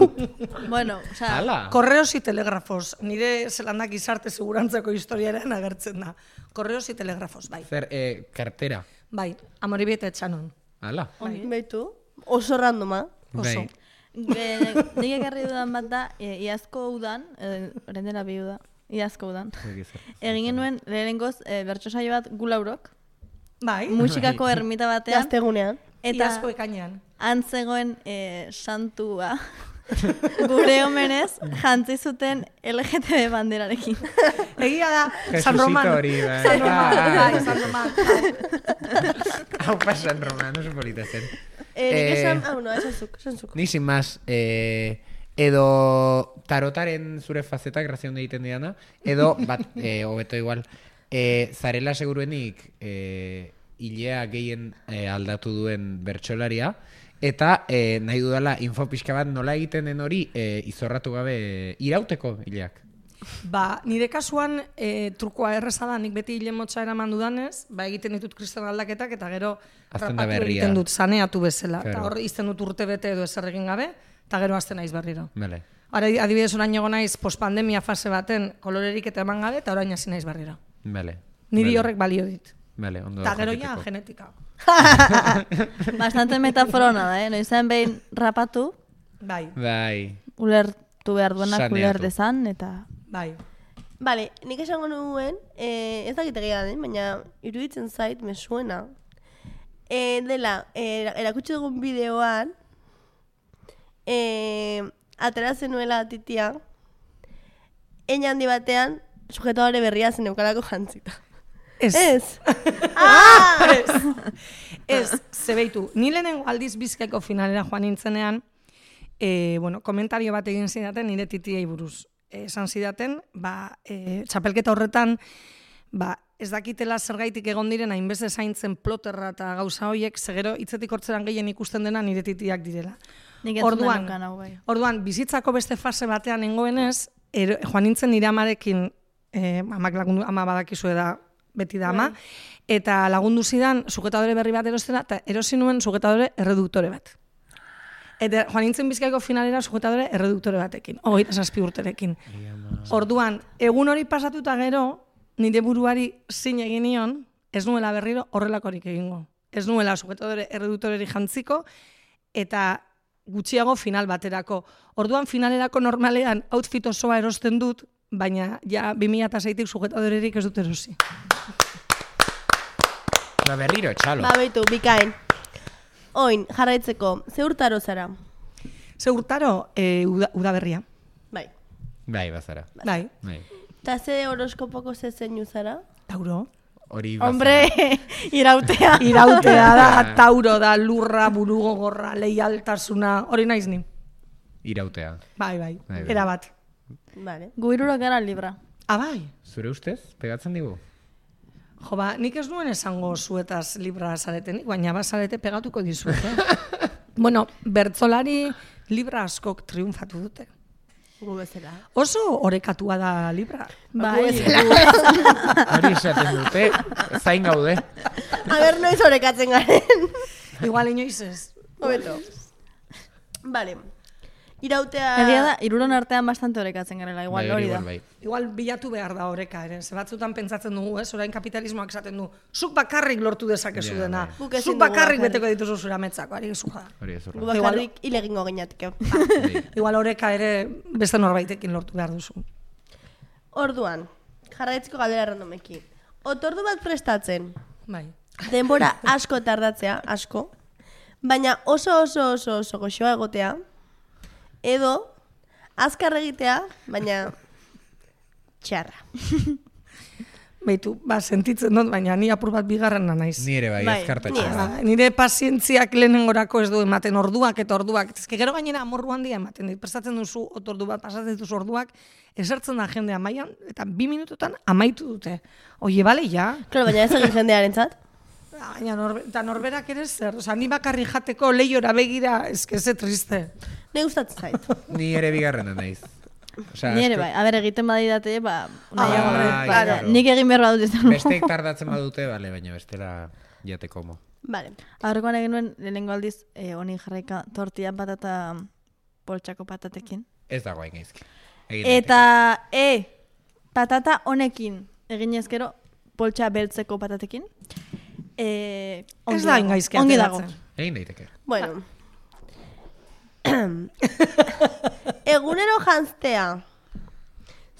Bueno, o sea, Ala! Korreos y telegrafos, nire zelandak gizarte segurantzako historiaren agertzen da. Korreos y telegrafos, bai. Zer, kartera. Bai, Amoribieta etxanon. Ala. Beitu, oso randoma. Oso. nik ekarri dudan bat da, iazko udan, orain dela bi uda, iazko udan. Egin genuen lehenengoz bertso saio bat Gulaurok, Bai, musikako ermita batean, Gaztegunean. eta iazko ekainean. antzegoen santua gure omenez jantzi zuten LGTB banderarekin. Egia da, San Jesucito Roman. hori, bai. San Roman, Ah, bai, San Roman. Hau pa San Roman, oso polita zen. Nik esan, no, esan zuk. Ni sin más, edo tarotaren zure fazetak grazion egiten diana, edo, bat, hobeto igual, zarela seguruenik hilea gehien aldatu duen bertsolaria, eta nahi dudala info pixka bat nola egiten den hori izorratu gabe irauteko hileak. Ba, nire kasuan trukoa erreza da, nik beti hile motxa eraman dudanez, ba, egiten ditut kristal aldaketak, eta gero Azten da rapatu berria. egiten dut, saneatu bezala. Eta Claro. hor izten dut urte bete edo ezer egin gabe, eta gero azten naiz berriro. Vale. Ara, adibidez orain egon naiz postpandemia fase baten kolorerik eta eman gabe, eta orain hasi naiz berriro. Vale. Niri horrek balio dit. Vale, ondo Eta da gero ja, jakiteko. genetika. Bastante metaforona da, noizean behin rapatu, Bai, Bai. ulertu behar duenak Saneatu. uler dezan, eta... bai. Vale, nik esango nuen, ez dakit egia den, baina iruditzen zait, me suena. Dela, erakutsi dugun bideoan, atera zenuela titia, hein handi batean, sujetadore berria zen eukalako jantzita. Ez. Ez? Ez, zebeitu. Ni lehenengo aldiz Bizkaiko finalera joan nintzenean, bueno, komentario bat egin zidaten nire titiei buruz. Esan zidaten, ba, txapelketa horretan, ba, ez dakitela zergaitik egon diren hainbeste zaintzen ploterra eta gauza hoiek, segero hitzetik hortzeran gehien ikusten dena nire titiak direla. Nik entzun da nukan hau bai. Orduan, bizitzako beste fase batean nengoenez, joan nintzen nire amarekin, amak lagundu, ama badakizue da, beti da ama, eta lagundu zidan sujetadore berri bat erostera, eta erosi nuen sujetadore erreduktore bat. Eta joan nintzen Bizkaiko finalera sujetadore erreduktore batekin, 27 urterekin. Orduan, egun hori pasatuta gero, nire buruari zin egin nion, ez nuela berriro horrelakorik egingo. Ez nuela sujetadore erredutoreri jantziko, eta gutxiago final baterako. Orduan finalerako normalean outfit osoa erosten dut, baina ja 2006tik sujetadorerik ez dut erosi. Ba, berriro, txalo. Ba, beitu, bikain. Oin, jarraitzeko, ze urtaro zara? Ze urtaro, udaberria. Bai. Bai, bazara. Bai. Ta ze horoskopoko ze zeinu zara? Tauro. Hori bazara. Hombre, irautea. Irautea da, tauro da, lurra, burugogorra, leialtasuna, hori naiz ni. Irautea. Bai, erabat. Vale. Gu hirurok gara libra. Bai. Zure ustez, pegatzen digu? Jo, ba, nik ez nuen esango zuetaz libra zaretenik, baina bazarete pegatuko dizuet. Bueno, bertzolari libra askok triunfatu dute. Gu bezala. Oso orekatua da libra. Bai, Hori esaten dute, zain gaude. A ber, noiz orekatzen garen. Igual inoiz ez. Hobeto. Vale. Irautea... egia da, hiruron artean bastante orekatzen garela, igual hori da. Bai. Igual bilatu behar da oreka ere. Ze batzutan pentsatzen dugu, ez? Orain kapitalismoak esaten du, zuk bakarrik lortu dezakezu Ja, dena. bai. Guk ezin Zuk dugu bakarrik bakarrik. beteko dituzu zure ametzako, ari gezuja. Hori ez Gu urra. bakarrik ilegingo gineatike. Igual oreka ere beste norbaitekin lortu behar duzu. Orduan, jarraitzeko galdera randomekin. Otordu bat prestatzen, Bai. denbora asko tardatzea, asko, baina oso goxoa egotea, edo azkar egitea, baina txarra. Beitu, ba, sentitzen dut, baina ni apur bat bigarrena naiz. Ni ere bai, Bai, azkartatxo. ni ez. Ba, nire pazientziak lehenengorako ez du ematen orduak eta orduak. Ez que gero gainera amorru handia ematen dit. Prestatzen duzu otordu bat, pasatzen dituzu orduak, esertzen da jendea mailan eta 2 minututan amaitu dute. Oie, bale, ja? Claro, baina ez egin jendearentzat. Baina eta norberak ere zer, oza, ni bakarri jateko lehiora begira, eske ze triste. Ne gustatzen zait. Ni ere bigarrena naiz. Osea, Ni ere bai, a ber, egiten badidate, ba, nahiago. bai, Claro, claro. nik egin behar badut izan. Besteek tardatzen badute, bale, baina bestela jateko mo. Vale. Aurrekoan egin nuen, lehenengo aldiz, honi jarraika tortilla patata poltsako patatekin. Ez dago hain gaizki. Egin Eta, patata honekin egin ezkero poltsa beltzeko patatekin. Ez da ingaizki Ongi dago. ateratzen. daiteke. Egin daiteke. Bueno. Egunero janztea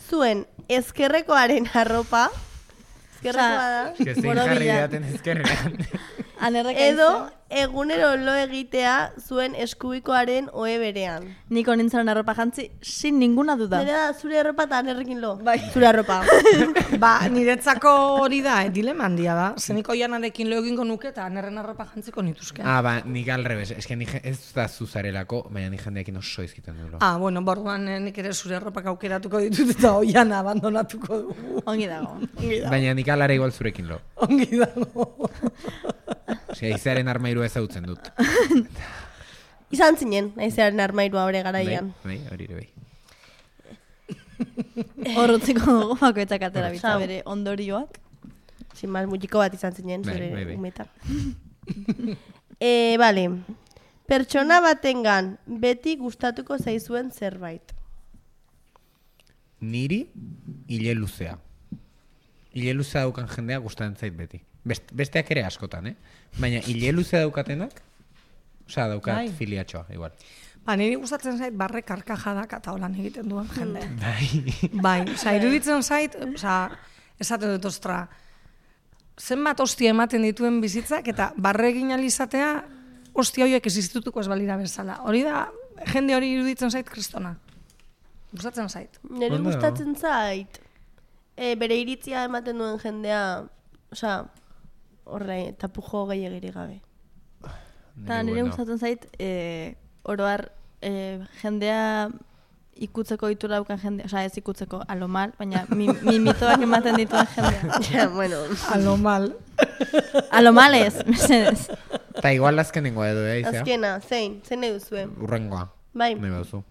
zuen ezkerrekoaren arropa, ezkerrekoa da, Que zein Borobila. jarri daten ezkerrean. edo egunero lo egitea zuen eskubikoaren ohe berean. Niko nintzen arropa jantzi, sin ninguna duda. Nire da, zure arropa eta anerrekin lo. Bai. Zure arropa. Ba, niretzako hori da, dilema handia da. Zeniko janarekin lo egingo nuke eta anerren arropa jantziko nituzke. Ba, nik alrebes. Ez que ez da zuzarelako, baina nik jendeekin oso izkiten duelo. Bueno, borduan nik ere zure arropak aukeratuko ditut eta oian abandonatuko dugu. Ongi dago. Baina nik alara igual zurekin lo. Ongi dago. Osea, izearen armairua ezautzen dut. Izan zinen, naizearen armairua hori garaian. Bai, hori ere bai. Horrutziko dugu bakoitzak atera bitza Sau. bere ondorioak. Sin más, mutiko bat izan zinen, Bai, zure bai. umetan. Vale. Pertsona batengan beti gustatuko zaizuen zerbait. Niri, hile luzea. Hile luzea daukan jendea gustatzen zait beti. Besteak ere askotan, Baina hile luzea daukatenak, osea, daukat Bai. filiatxoa, igual. Ba, niri gustatzen zait barre karkajadak eta holan egiten duen jende. Bai. Bai, oza, iruditzen zait, oza, esaten dut ostra, zenbat ostia ematen dituen bizitzak eta barre egin alizatea ostia horiek existitutuko ez balira bezala. Hori da, jende hori iruditzen zait kristona. Gustatzen zait. Nire Ondo. gustatzen zait, bere iritzia ematen duen jendea, osea, horre, tapujo gehiagirik gabe. Eta nire gustatzen zait, oroar jendea ikutzeko itura daukan jendea, osea ez ikutzeko, alo mal, baina mitoak ematen dituen jendea. Ja, bueno. A lo mal. Alo mal ez, mesedez. Eta igual azkenengoa edo, izea? Azkena, zein nahi duzue? Urrengoa. Bai. Nahi baduzu.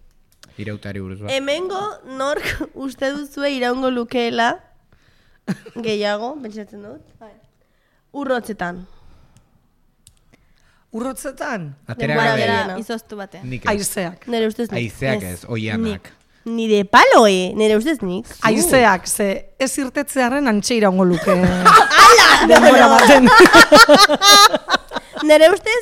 Irautari buruz bat. Hemengo nork uste duzue iraungo lukeela gehiago, pentsatzen dut. Urrotzetan. Urrotzetan, Atera denbora gabe. gehiena. Izoztu batean. Nik ez. aizeak. Nire ustez nik. Aizeak ez, oianak. Nire palo, nire ustez nik. Aizeak, ze ez irtetzearen antxe iraungo luke. Ala! Denbora baten. Nire ustez,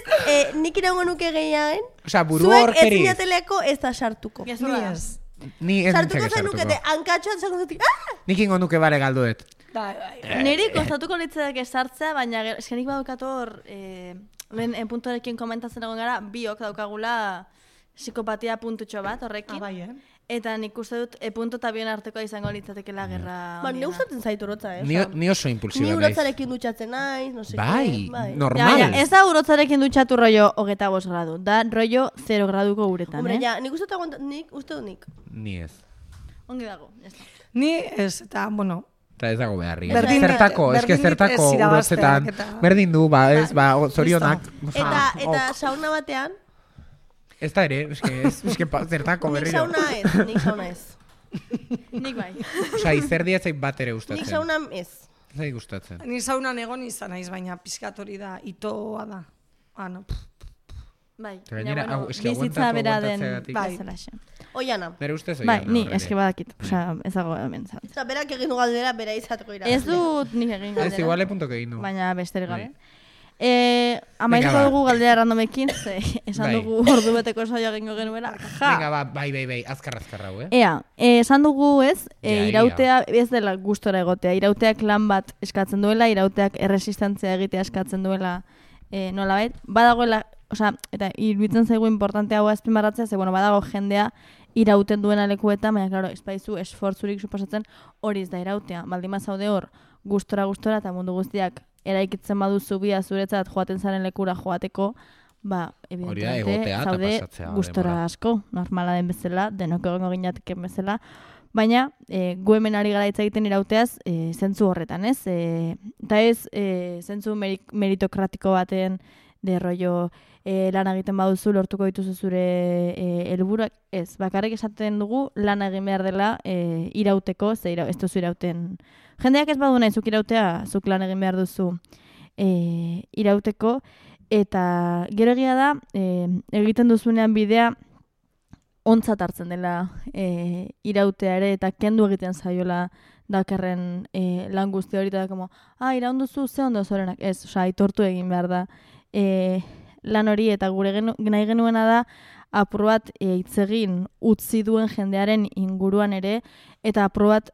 nik iraungo nuke gehiagen. Osea, buru Zuek horkeriz. ez zinateleko ez da sartuko. Ni ez. Ni ez Sartuko nintzake zainukete, sartuko. hankatxoan zango zutik, Nik ingo nuke bare galduet. Niri kostatuko litzak sartzea, baina eskenik badukat hor, lehen puntorekin komentatzen egon gara, biok daukagula psikopatia puntutxo bat horrekin. Bai, Eta nik uste dut punto eta bion artekoa izango litzatekela gerra. Ba, ne gustatzen zait urotza, Ni oso Ni impulsiba naiz. urotzarekin dutxatzen naiz, no sé Bai, bai. normal. Ja, ez da urotzarekin dutxatu rollo 25 gradu, da rollo 0 graduko uretan, Hombre, ja, nik uste dut nik. Ni ez. Ongi dago, ya está. Ni ez, eta, bueno, Eta ez dago beharri. Berdin- Zertako, eske berdin zertako ez irabazteak urotzetan. eta- Berdin du, ba, ez, ba, zorionak. Eta sauna batean, Ez da ere, eske zertako nik berriro. sauna ez. Nik bai. Osea, izerdia ez zait bat ere Nik gustatzen. sauna ez. Ez zait gustatzen. ni saunan egon izan naiz, baina pizkat hori da, itoa da. No. Bai, Eta gainera, baina, hau, eske bizitza aguantatu, bera den aguantatzeagatik. Bai. bezalaxe. Oiana. Nere ustez Bai, oiana ni horrela. eske badakit, osea, ez dago hemen zan. Osa, berak egin du galdera, bera izateko irabazle. Ez dut nik egin Ez, galdera, igual puntok egin du. baina besterik gabe. Bai. Amaituko Venga, ba. dugu galdera randomekin, ze esan Bai. dugu ordu beteko saioa egingo genuela. Ja! Venga, ba, bai, azkar hau, Ea, esan dugu ez, Ja, irautea ez dela gustora egotea. Irauteak lan bat eskatzen duela, irauteak erresistentzia egitea eskatzen duela nolabait. Badagoela, osea, eta iruditzen zaigu importante hau azpimarratzea, ze bueno, badago jendea irauten duena lekuetan, baina claro, ez baizu esfortzurik suposatzen hori ez da irautea. Baldin bazaude hor gustora eta mundu guztiak eraikitzen baduzu bia zuretzat joaten zaren lekura joateko, ba, evidentemente, egotea eta zaude pasatzea gustora denbora. asko, normala den bezala, denok egongo ginateken bezala, baina gu hemen ari gara hitz egiten irauteaz zentzu horretan, ez? Eta ez zentzu meritokratiko baten de rollo lan egiten baduzu lortuko dituzu zure helburuak, ez, bakarrik esaten dugu lan egin behar dela irauteko, ze ez duzu irauten. Jendeak ez badu nahi zuk irautea, zuk lan egin behar duzu irauteko, eta gero egia da, egiten duzunean bidea ontzat hartzen dela irautea ere, eta kendu egiten zaiola dakarren lan guzti hori, eta como, iraun duzu ze ondo zorenak, ez, osea, aitortu egin behar da lan hori, eta gure nahi genuena da, apur bat hitz egin utzi duen jendearen inguruan ere, eta apur bat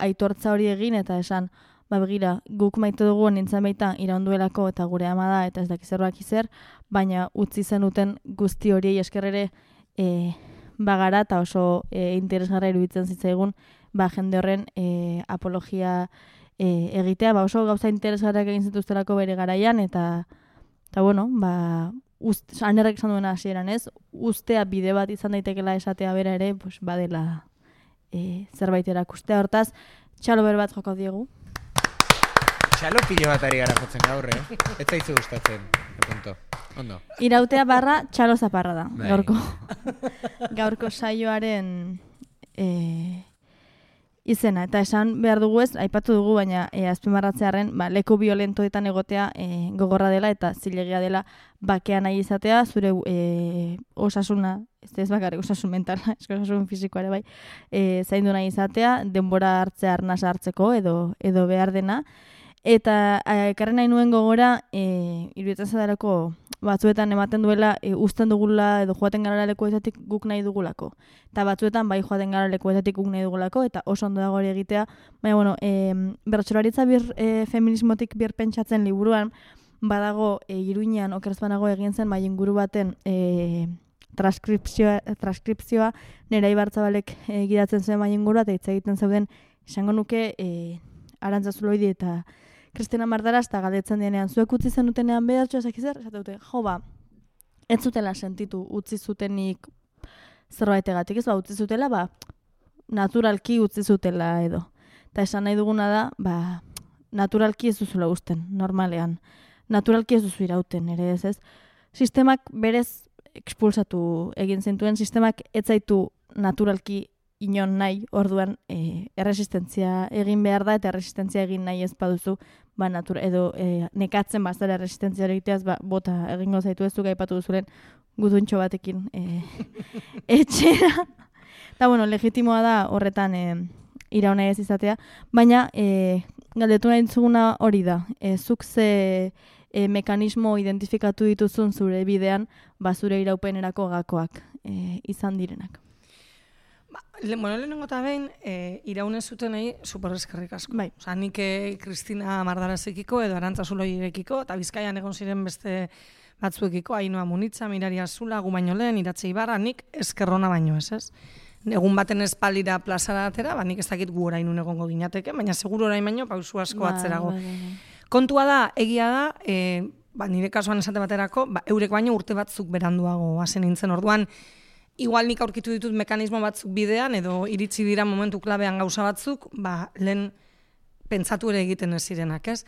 aitortza hori egin, eta esan, begira, guk maite dugu nintzen baita iraunduelako eta gure ama da, eta ez dakizerroak izer, baina utzi zenuten guzti horiei eskerrere bagara, eta oso interesgarra iruditzen zitzaigun, jende horren apologia egitea, oso gauza interesgarrak egin zituztelako bere garaian, eta bueno, anerrek esan duena hasieran ez, ustea bide bat izan daitekela esatea bera ere, pues, badela zerbait erakustea. Hortaz, txalo ber bat joko diegu. Txalo pilo bat ari gara jotzen gaur, Ez zaizu gustatzen, punto. Ondo. Irautea barra txalo zaparra da, Bai. gaurko saioaren izena. Eta esan behar dugu ez, aipatu dugu, baina azpimarratzearen leku violentoetan egotea gogorra dela eta zilegia dela bakea nahi izatea, zure osasuna, ez bakarrik osasun mentala, osasun fisikoare bai, zaindu nahi izatea, denbora hartzea arnasa hartzeko edo behar dena. Eta ekarri nahi nuen gogora, iruditzen zadarako batzuetan ematen duela uzten dugula edo joaten gara lekuetatik guk nahi dugulako. Eta batzuetan bai joaten gara lekuetatik guk nahi dugulako, eta oso ondo dago hori egitea. Baina, bueno, bertsolaritza feminismotik birpentsatzen liburuan, badago Iruñean okeraz banago egin zen bai inguru baten transkripzioa Nerea Ibartzabalek gidatzen zuen bai ingurua, eta hitz egiten zeuden esango nuke Arantza Zuloidi eta Kristina Mardaraz, eta galdetzen dienean, zuek utzi zenutenean behatxo ezakizer, esate dute, ez zutela sentitu utzi zutenik zerbaitegatik, ez utzi zutela, naturalki utzi zutela edo. Eta esan nahi duguna da, naturalki ez duzula usten, normalean. Naturalki ez duzu irauten, ere ez. Sistemak berez expulsatu egin zintuen, sistemak ez zaitu naturalki inon nahi, orduan erresistentzia egin behar da, eta erresistentzia egin nahi ez baduzu, edo nekatzen bazara erresistentzia egiteaz, bota egingo zaitu ez du gaipatu duzuren gutuntxo batekin etxera. Eta, bueno, legitimoa da horretan irauna ez izatea, baina galdetu nahi zuguna hori da. Zuk ze mekanismo identifikatu dituzun zure bidean, zure iraupenerako gakoak izan direnak. Lehenengo eta behin, iraune zutenei superrezkerrik asko. Bai. Osa, nik Kristina Mardarazekiko edo Arantza Zuloirekiko, eta Bizkaian egon ziren beste batzuekiko, Ainhoa Munitza, Mirari Azula, gu baino lehen, Iratxe Ibarra, nik eskerrona baino ez. Egun baten espaldira plazara atera, nik ez dakit gu orain egongo ginateke, baina seguru orain baino pausu asko atzerago. Kontua da, egia da, nire kasuan esate baterako, eurek baino urte batzuk beranduago hasen nintzen orduan, igual nik aurkitu ditut mekanismo batzuk bidean, edo iritsi dira momentu klabean gauza batzuk, lehen pentsatu ere egiten ez zirenak, ez?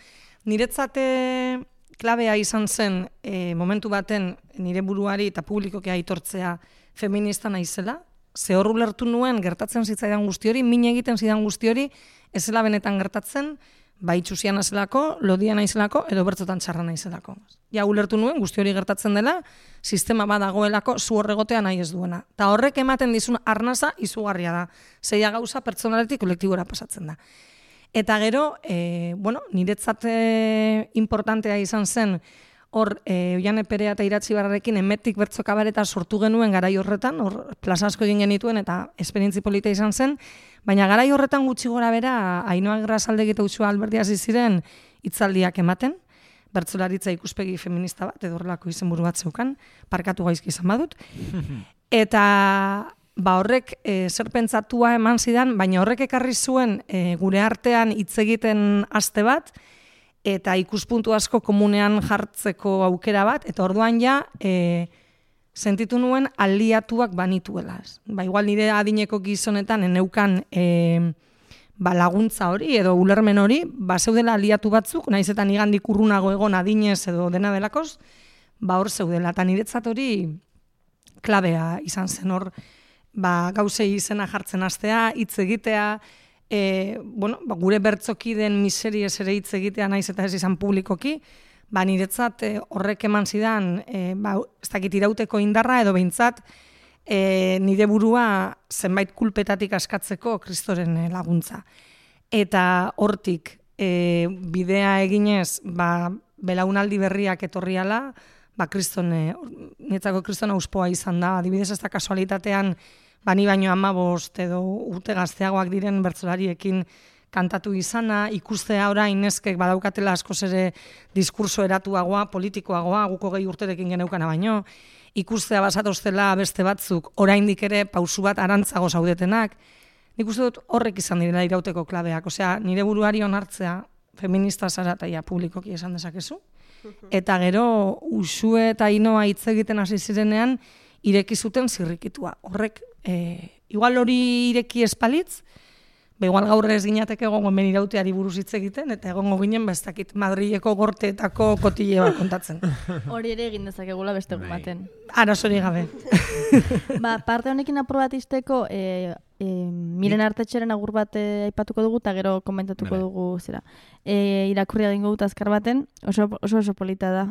Niretzate klabea izan zen momentu baten nire buruari eta publikoki aitortzea feminista naizela, ze hor ulertu nuen gertatzen zitzaidan guzti hori, min egiten zidan guzti hori, ez zela benetan gertatzen, itxusia naizelako, lodia naizelako, edo bertzotan txarra naizelako. Ja ulertu nuen guzti hori gertatzen dela, sistema badagoelako zu horregotea nahi ez duena. Ta horrek ematen dizun arnasa izugarria da. Zeia gauza pertsonaletik kolektibora pasatzen da. Eta gero, niretzat importantea izan zen, hor, Oiane Perea eta Iratxe Ibarrarekin emetik bertso kabareta sortu genuen garai horretan, hor plaza asko egin genituen eta esperientzi polita izan zen, baina garai horretan gutxi gora bera, Ainhoa Grasaldegi eta Uxue Alberdi hasi ziren hitzaldiak ematen, bertsolaritza ikuspegi feminista bat, edo horrelako izenburu bat zeukan, parkatu gaizki izan badut, eta horrek zer pentsatua eman zidan, baina horrek ekarri zuen gure artean hitz egiten aste bat, eta ikuspuntu asko komunean jartzeko aukera bat, eta orduan ja sentitu nuen aliatuak banituela. Igual nire adineko gizonetan eneukan laguntza hori edo ulermen hori, zeudela aliatu batzuk, naiz eta nigandik urrunago egon adinez edo dena delakoz, hor zeudela. Eta niretzat hori klabea izan zen hor, gauzei izena jartzen hastea, hitz egitea, gure bertzokiden miseriez ere hitz egitea naiz eta ez izan publikoki, niretzat horrek eman zidan, ez dakit irauteko indarra edo behintzat, nire burua zenbait kulpetatik askatzeko Kristoren laguntza. Eta hortik bidea eginez, belaunaldi berriak etorriala, niretzako Kriston auspoa izan da, adibidez ez da kasualitatean, ni baino 15 edo urte gazteagoak diren bertsolariekin kantatu izana, ikustea orain neskek badaukatela askoz ere diskurso eratuagoa, politikoagoa, guko 20 urterekin geneukana baino, ikustea basatoztela beste batzuk, oraindik ere pausu bat arantzago zaudetenak, nik uste dut horrek izan direla irauteko klabeak, osea, nire buruari onartzea feminista zara eta publikoki esan dezakezu, eta gero Uxue eta Ainhoa hitz egiten hasi zirenean, ireki zuten zirrikitua. Horrek, igual hori ireki espalitz, igual gaur ez ginateke egongo hemen irauteari buruz hitz egiten, eta egongo ginen bestakit Madrileko gorteetako kotile bat kontatzen. Hori ere egin dezakegula beste egun baten. Arazori gabe. Parte honekin aprobatisteko, Miren Artetxeren agur bat aipatuko dugu, eta gero komentatuko dugu zera. Irakurri egingo dut azkar baten, oso polita da.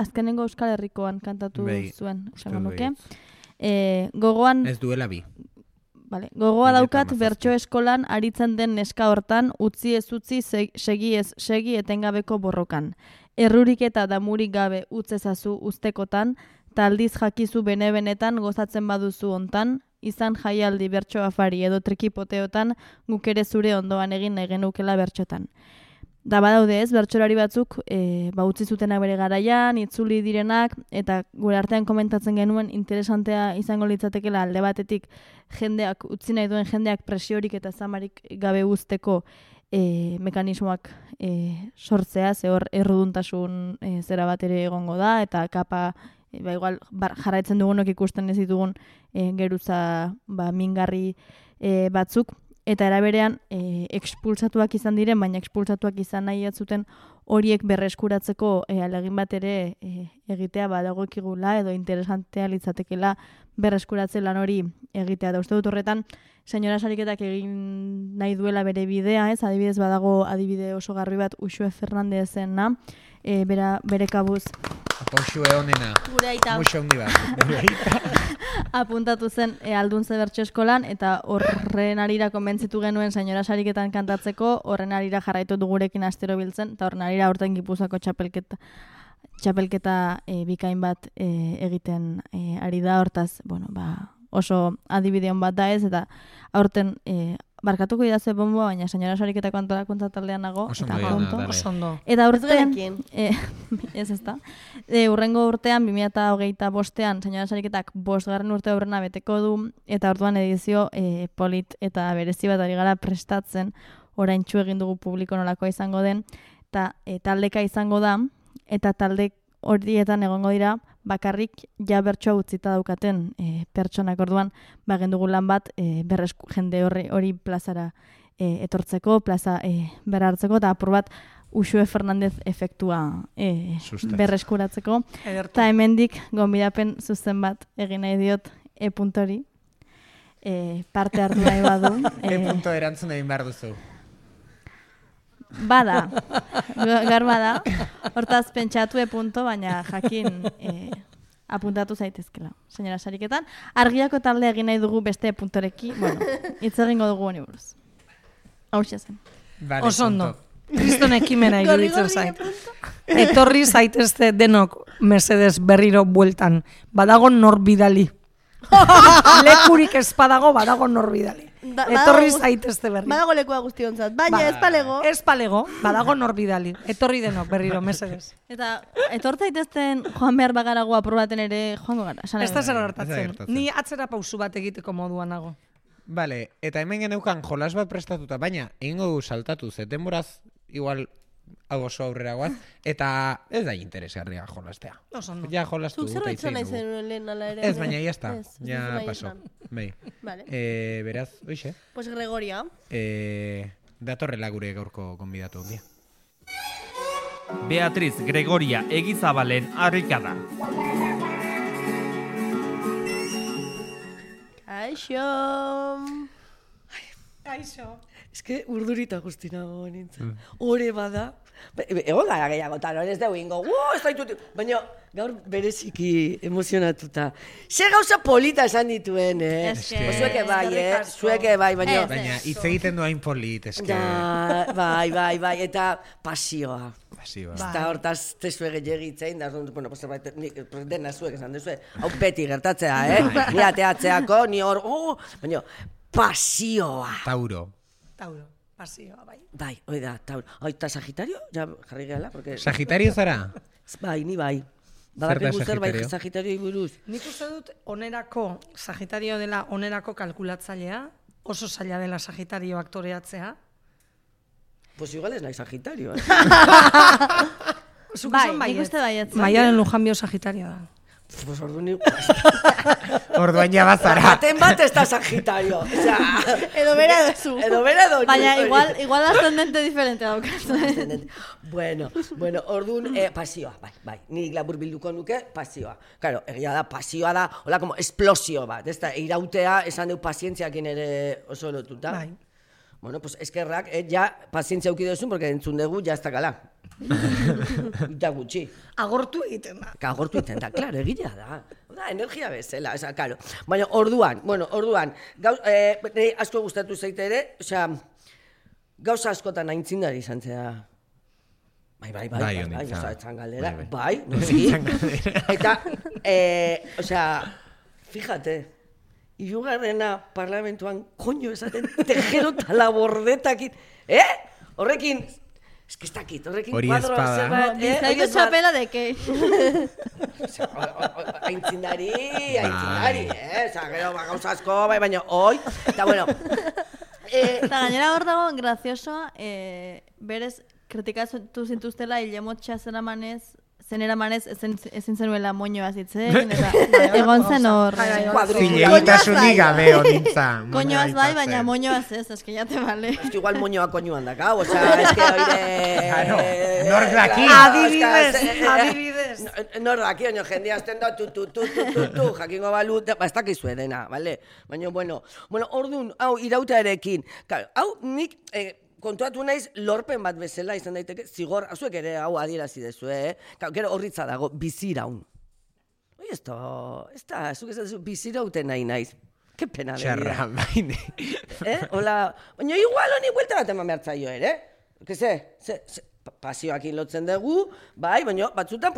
Azkenengo Euskal Herrikoan kantatu zuen, esango nuke. Gogoan... Ez duela bi. Vale. Gogoa daukat bertso eskolan aritzen den neska hortan, utzi ez utzi, segi ez segi etengabeko borrokan. Errurik eta damurik gabe utzezazu ustekotan, taldiz jakizu bene-benetan gozatzen baduzu hontan, izan jaialdi bertso afari edo trikipoteotan, guk ere zure ondoan egin nahi genukela bertxotan. Da badaude ez, bertsolari batzuk utzi zutenak bere garaian, itzuli direnak, eta gure artean komentatzen genuen interesantea izango litzatekela alde batetik jendeak, utzi nahi duen jendeak presiorik eta zamarik gabe uzteko mekanismoak sortzea, ze hor erruduntasun zera bat ere egongo da, eta kapa igual jarraitzen dugunok ikusten ez ditugun geruza mingarri batzuk, eta eraberean expulsatuak izan diren, baina expulsatuak izan nahi atzuten horiek berreskuratzeko alegin bat ere egitea badagokigula edo interesantea litzatekela berreskuratze lan hori egitea. Da uste dut horretan, senyora Sariketak egin nahi duela bere bidea, ez? Adibidez badago adibide oso garbi bat Uxue Fernandezena, bere kabuz. Uxue honena. Gure aita. Muxo handi bat. apuntatu zen Alduntze bertso eskolan, eta horren arira konbentzitu genuen senyora sariketan kantatzeko, horren arira jarraitu dugurekin astero biltzen, eta horren arira aurten Gipuzkoako txapelketa bikain bat egiten ari da, hortaz, bueno, oso adibideon bat da ez, eta aurten barkatuko idazue bomboa, baina senyora sariketako antolakuntza taldean nago. Oso ondo. Eta urtean, ez da, urrengo urtean, 2025an, senyora sariketak 5. urte aurrena beteko du, eta orduan edizio polit eta berezi bat ari gara prestatzen, oraintsu egin dugu publiko nolakoa izango den, eta taldeka izango da, eta talde horietan egongo dira, bakarrik ja bertsoa utzita daukaten pertsonak, orduan bagen dugu lan bat jende hori plazara etortzeko, plaza berra hartzeko, eta apur bat Uxue Fernandez efektua berreskuratzeko. Eta hemendik gonbidapen zuzen bat egin nahi diot e-puntori parte hartu nahi badu. E-punto erantzun egin behar duzu. Bada, gaur bada, hortaz pentsatu e-punto, baina jakin apuntatu zaitezkela, senyora sariketan. Argiako talde egin nahi dugu beste e-puntoreki, bueno, hitz egingo dugu honi buruz. Hauxe zen. Oso ondo. Kriston ekimena iruditzen zait. Etorri zaitezte denok mesedez berriro bueltan. Badago nor bidali. Lekurik ez badago nor bidali. Etorri zaitezte berriro. Badago lekua guztiontzat, baina ez palego. Ez palego, badago nor bidali. Etorri denok berriro mesedez. Eta etor zaitezten joan behar bagarago aprobaten ere joango gara. Ez da zer gertatzen. Ni atzera pausu bat egiteko moduan nago. Bale, eta hemen geneukan jolas bat prestatuta, baina egingo du saltatu, denboraz igual hau oso aurrera guaz, eta ez da interesgarria jolastea. Ja jolastu dut aitzen nahi zenuen lehen ala ere. Ez, baina ya está, ja paso. Bai. Beraz, oixe. Pues Gregoria. Datorrela gure gaurko konbidatu ondia. Beatriz Gregoria Egizabalen harrikada. Kaixo. Ez que urdurita guztinago nintzen. Hore bada. Egon gara gehiago eta ez dugu ingo. Ez daitut. Baina gaur bereziki emozionatuta. Ze gauza polita esan dituen, Zueke bai, baina... Baina hitz egiten du hain polit, eske. Bai, eta pasioa. Pasioa. Eta hortaz tezue gehiagitzein, bueno, dena zuek esan dezue, hau beti gertatzea, Ni ateatzeako, ni hor, baina pasioa. Tauro, pasioa, bai. Bai, hoi da, Tauro. Eta Sagitario, ja jarri gehala, porque... Sagitario zara? Bai, ni bai. Badakigu zer bai Sagitarioi buruz. Nik uste dut onerako, Sagitario dela onerako kalkulatzailea, oso zaila dela Sagitario aktoreatzea. Pues igual ez nahi Sagitario, Bai, nik uste baiatzen. Maialen Lujanbio Sagitario da. Pues orduan orduan ja bazara. Baten bat ez da Sagitario. Edo bera edo zu. Baina igual ascendente diferente daukazu. Bueno, orduan pasioa, bai. Nik labur bilduko nuke pasioa. Claro, egia da, pasioa da, hola como explosio bat. Ez da, irautea esan deu pazientziakin ere oso lotuta. Bai. Bueno, pues eskerrak, ja pazientzia aukidozun, porque entzun dugu, ja ez dakala. Eta gutxi. Agortu egiten da. Agortu egiten da, klaro, egila da. Da, energia bezala, klaro. Baina, orduan, asko gustatu zaite ere, gauza askotan aintzindari izan zera. Bai, etzan galdera. Bai, noski. Eta, fíjate, hirugarrena parlamentuan koño esaten tejero eta labordetakit. Horrekin, ez dakit, horrekin kuadroa zerbait. Bizkaiko txapela deke. Aintzindari, gero gauza asko, baina hoi, eta bueno. Eta gainera hor dago, graziosoa, berez, kritikatu zintuztela hilemotxa zenera manez ezin zenuela moñoa zitzen, eta egon zen hor. Zilegitasunik gabe honintza. Koñoaz bai, baina moñoaz ez, eske ya te vale. Eske igual moñoa koñoan dakau, eske oire... Nor daki. Adibidez. Nor daki, oino jendea azten da, tu, jakingo balu, ez dakizue dena, bale? Baina, bueno, orduan, hau, irautarekin, hau, nik... kontuatu naiz lorpen bat bezala izan daiteke, zigor, azuek ere hau adierazi dezu, gero horritza dago, biziraun. hori ez da, zuk ez da, bizirauten nahi naiz. Ke pena Txarra, baina. Hola, baina igual honi buelta bat eman behar zaio ere. Pasioak lotzen dugu, bai, baina batzutan,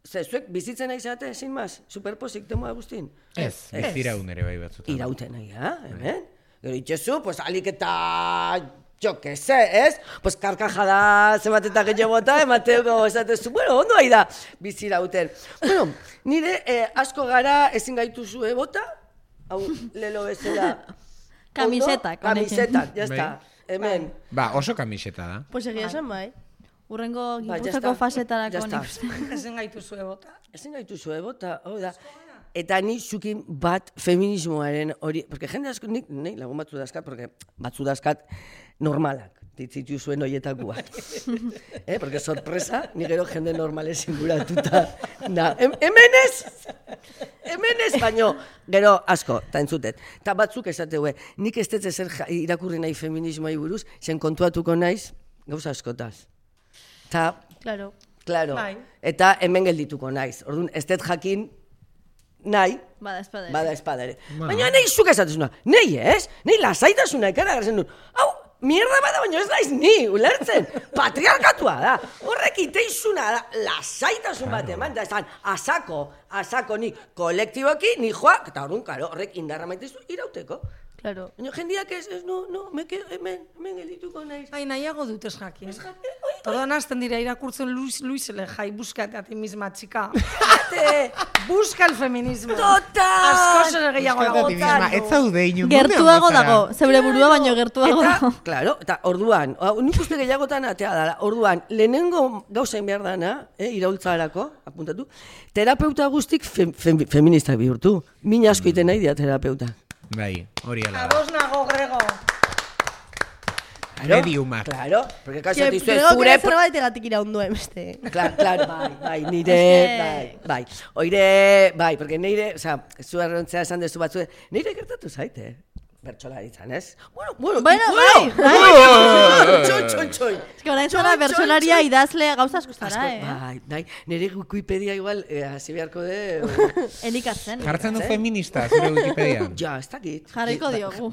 zuek bizitzen nahi zate, sin maz, superposik temoa guztin. Ez, biziraun ere bai batzutan. Irauten nahi, hemen? Gero itxezu, alik eta, jo que se, ez? Karkajada zemat eta gehiago bota, emateko esatezu, ondo ahi da bizirauten. Nire asko gara ezin gaituzue bota, hau lelo bezala. Kamisetak. Kamisetak, jazta, hemen. Oso kamiseta da. Pues egia esan bai. Urrengo Gipuzkoako fasetarako nik uste. Ezin gaituzue bota. Ezin gaituzue bota, hau da. Eta ni zukin bat feminismoaren hori, porque jende asko, nik lagun batzu dazkat, porque batzu dazkat normalak, ditzitu zuen horietakoak. Porque sorpresa, ni gero jende normales inguratuta. Hemen ez, baino, gero asko, eta entzutet. Eta batzuk esateue, nik ez dut ezer irakurri nahi feminismoai buruz, zen kontuatuko naiz, gauza askotaz. Claro. Eta hemen geldituko naiz. Orduan, ez dut jakin nahi, bada espadare. Baina nahi zuk esatezuna, nahi ez? Nahi lasaitasuna ikara garzen duen. Hau, mierda bada, baina ez naiz ni, ulertzen. Patriarkatua da. Horrek iteizuna da, lasaitasun bat eman, da esan, asako nik kolektiboki, ni joa, eta horrek indarra maitezu irauteko. Claro. Baina jendiak ez, hemen geldituko naiz. Nahiago dut ez jakin. Orduan hasten dira irakurtzen Luisele jai, búscate a ti misma, chica. Busca el feminismo. Total! Asko ere gehiago dago. Ez zaude inun. Gertuago dago, zeure burua baino gertuago dago. Claro, eta orduan, nik uste gehiagotan atea dara, orduan, lehenengo gauzain behar dana, iraultzarako, apuntatu, terapeuta guztik feministak bihurtu. Min asko iten nahi dira terapeuta. Bai, hori ala da. Ados nago, Grego. Mediumak. Claro, porque kaso dizue Grego zure... zer baiteratik iraunduen, beste. Claro, bai, nire, bai. Oire, bai, porque nire, zu errontzea esan dezu batzu, nire gertatu zaite, bertsolaritzan, ez? Bueno, bai. Txoi. Ez que orain zara bertsolaria idazle gauza asko zara, Bai, nire Wikipedia igual, hasi beharko de... Elikatzen. Jartzen du feminista, zure Wikipedia. Ja, ez dakit. Jarriko diogu.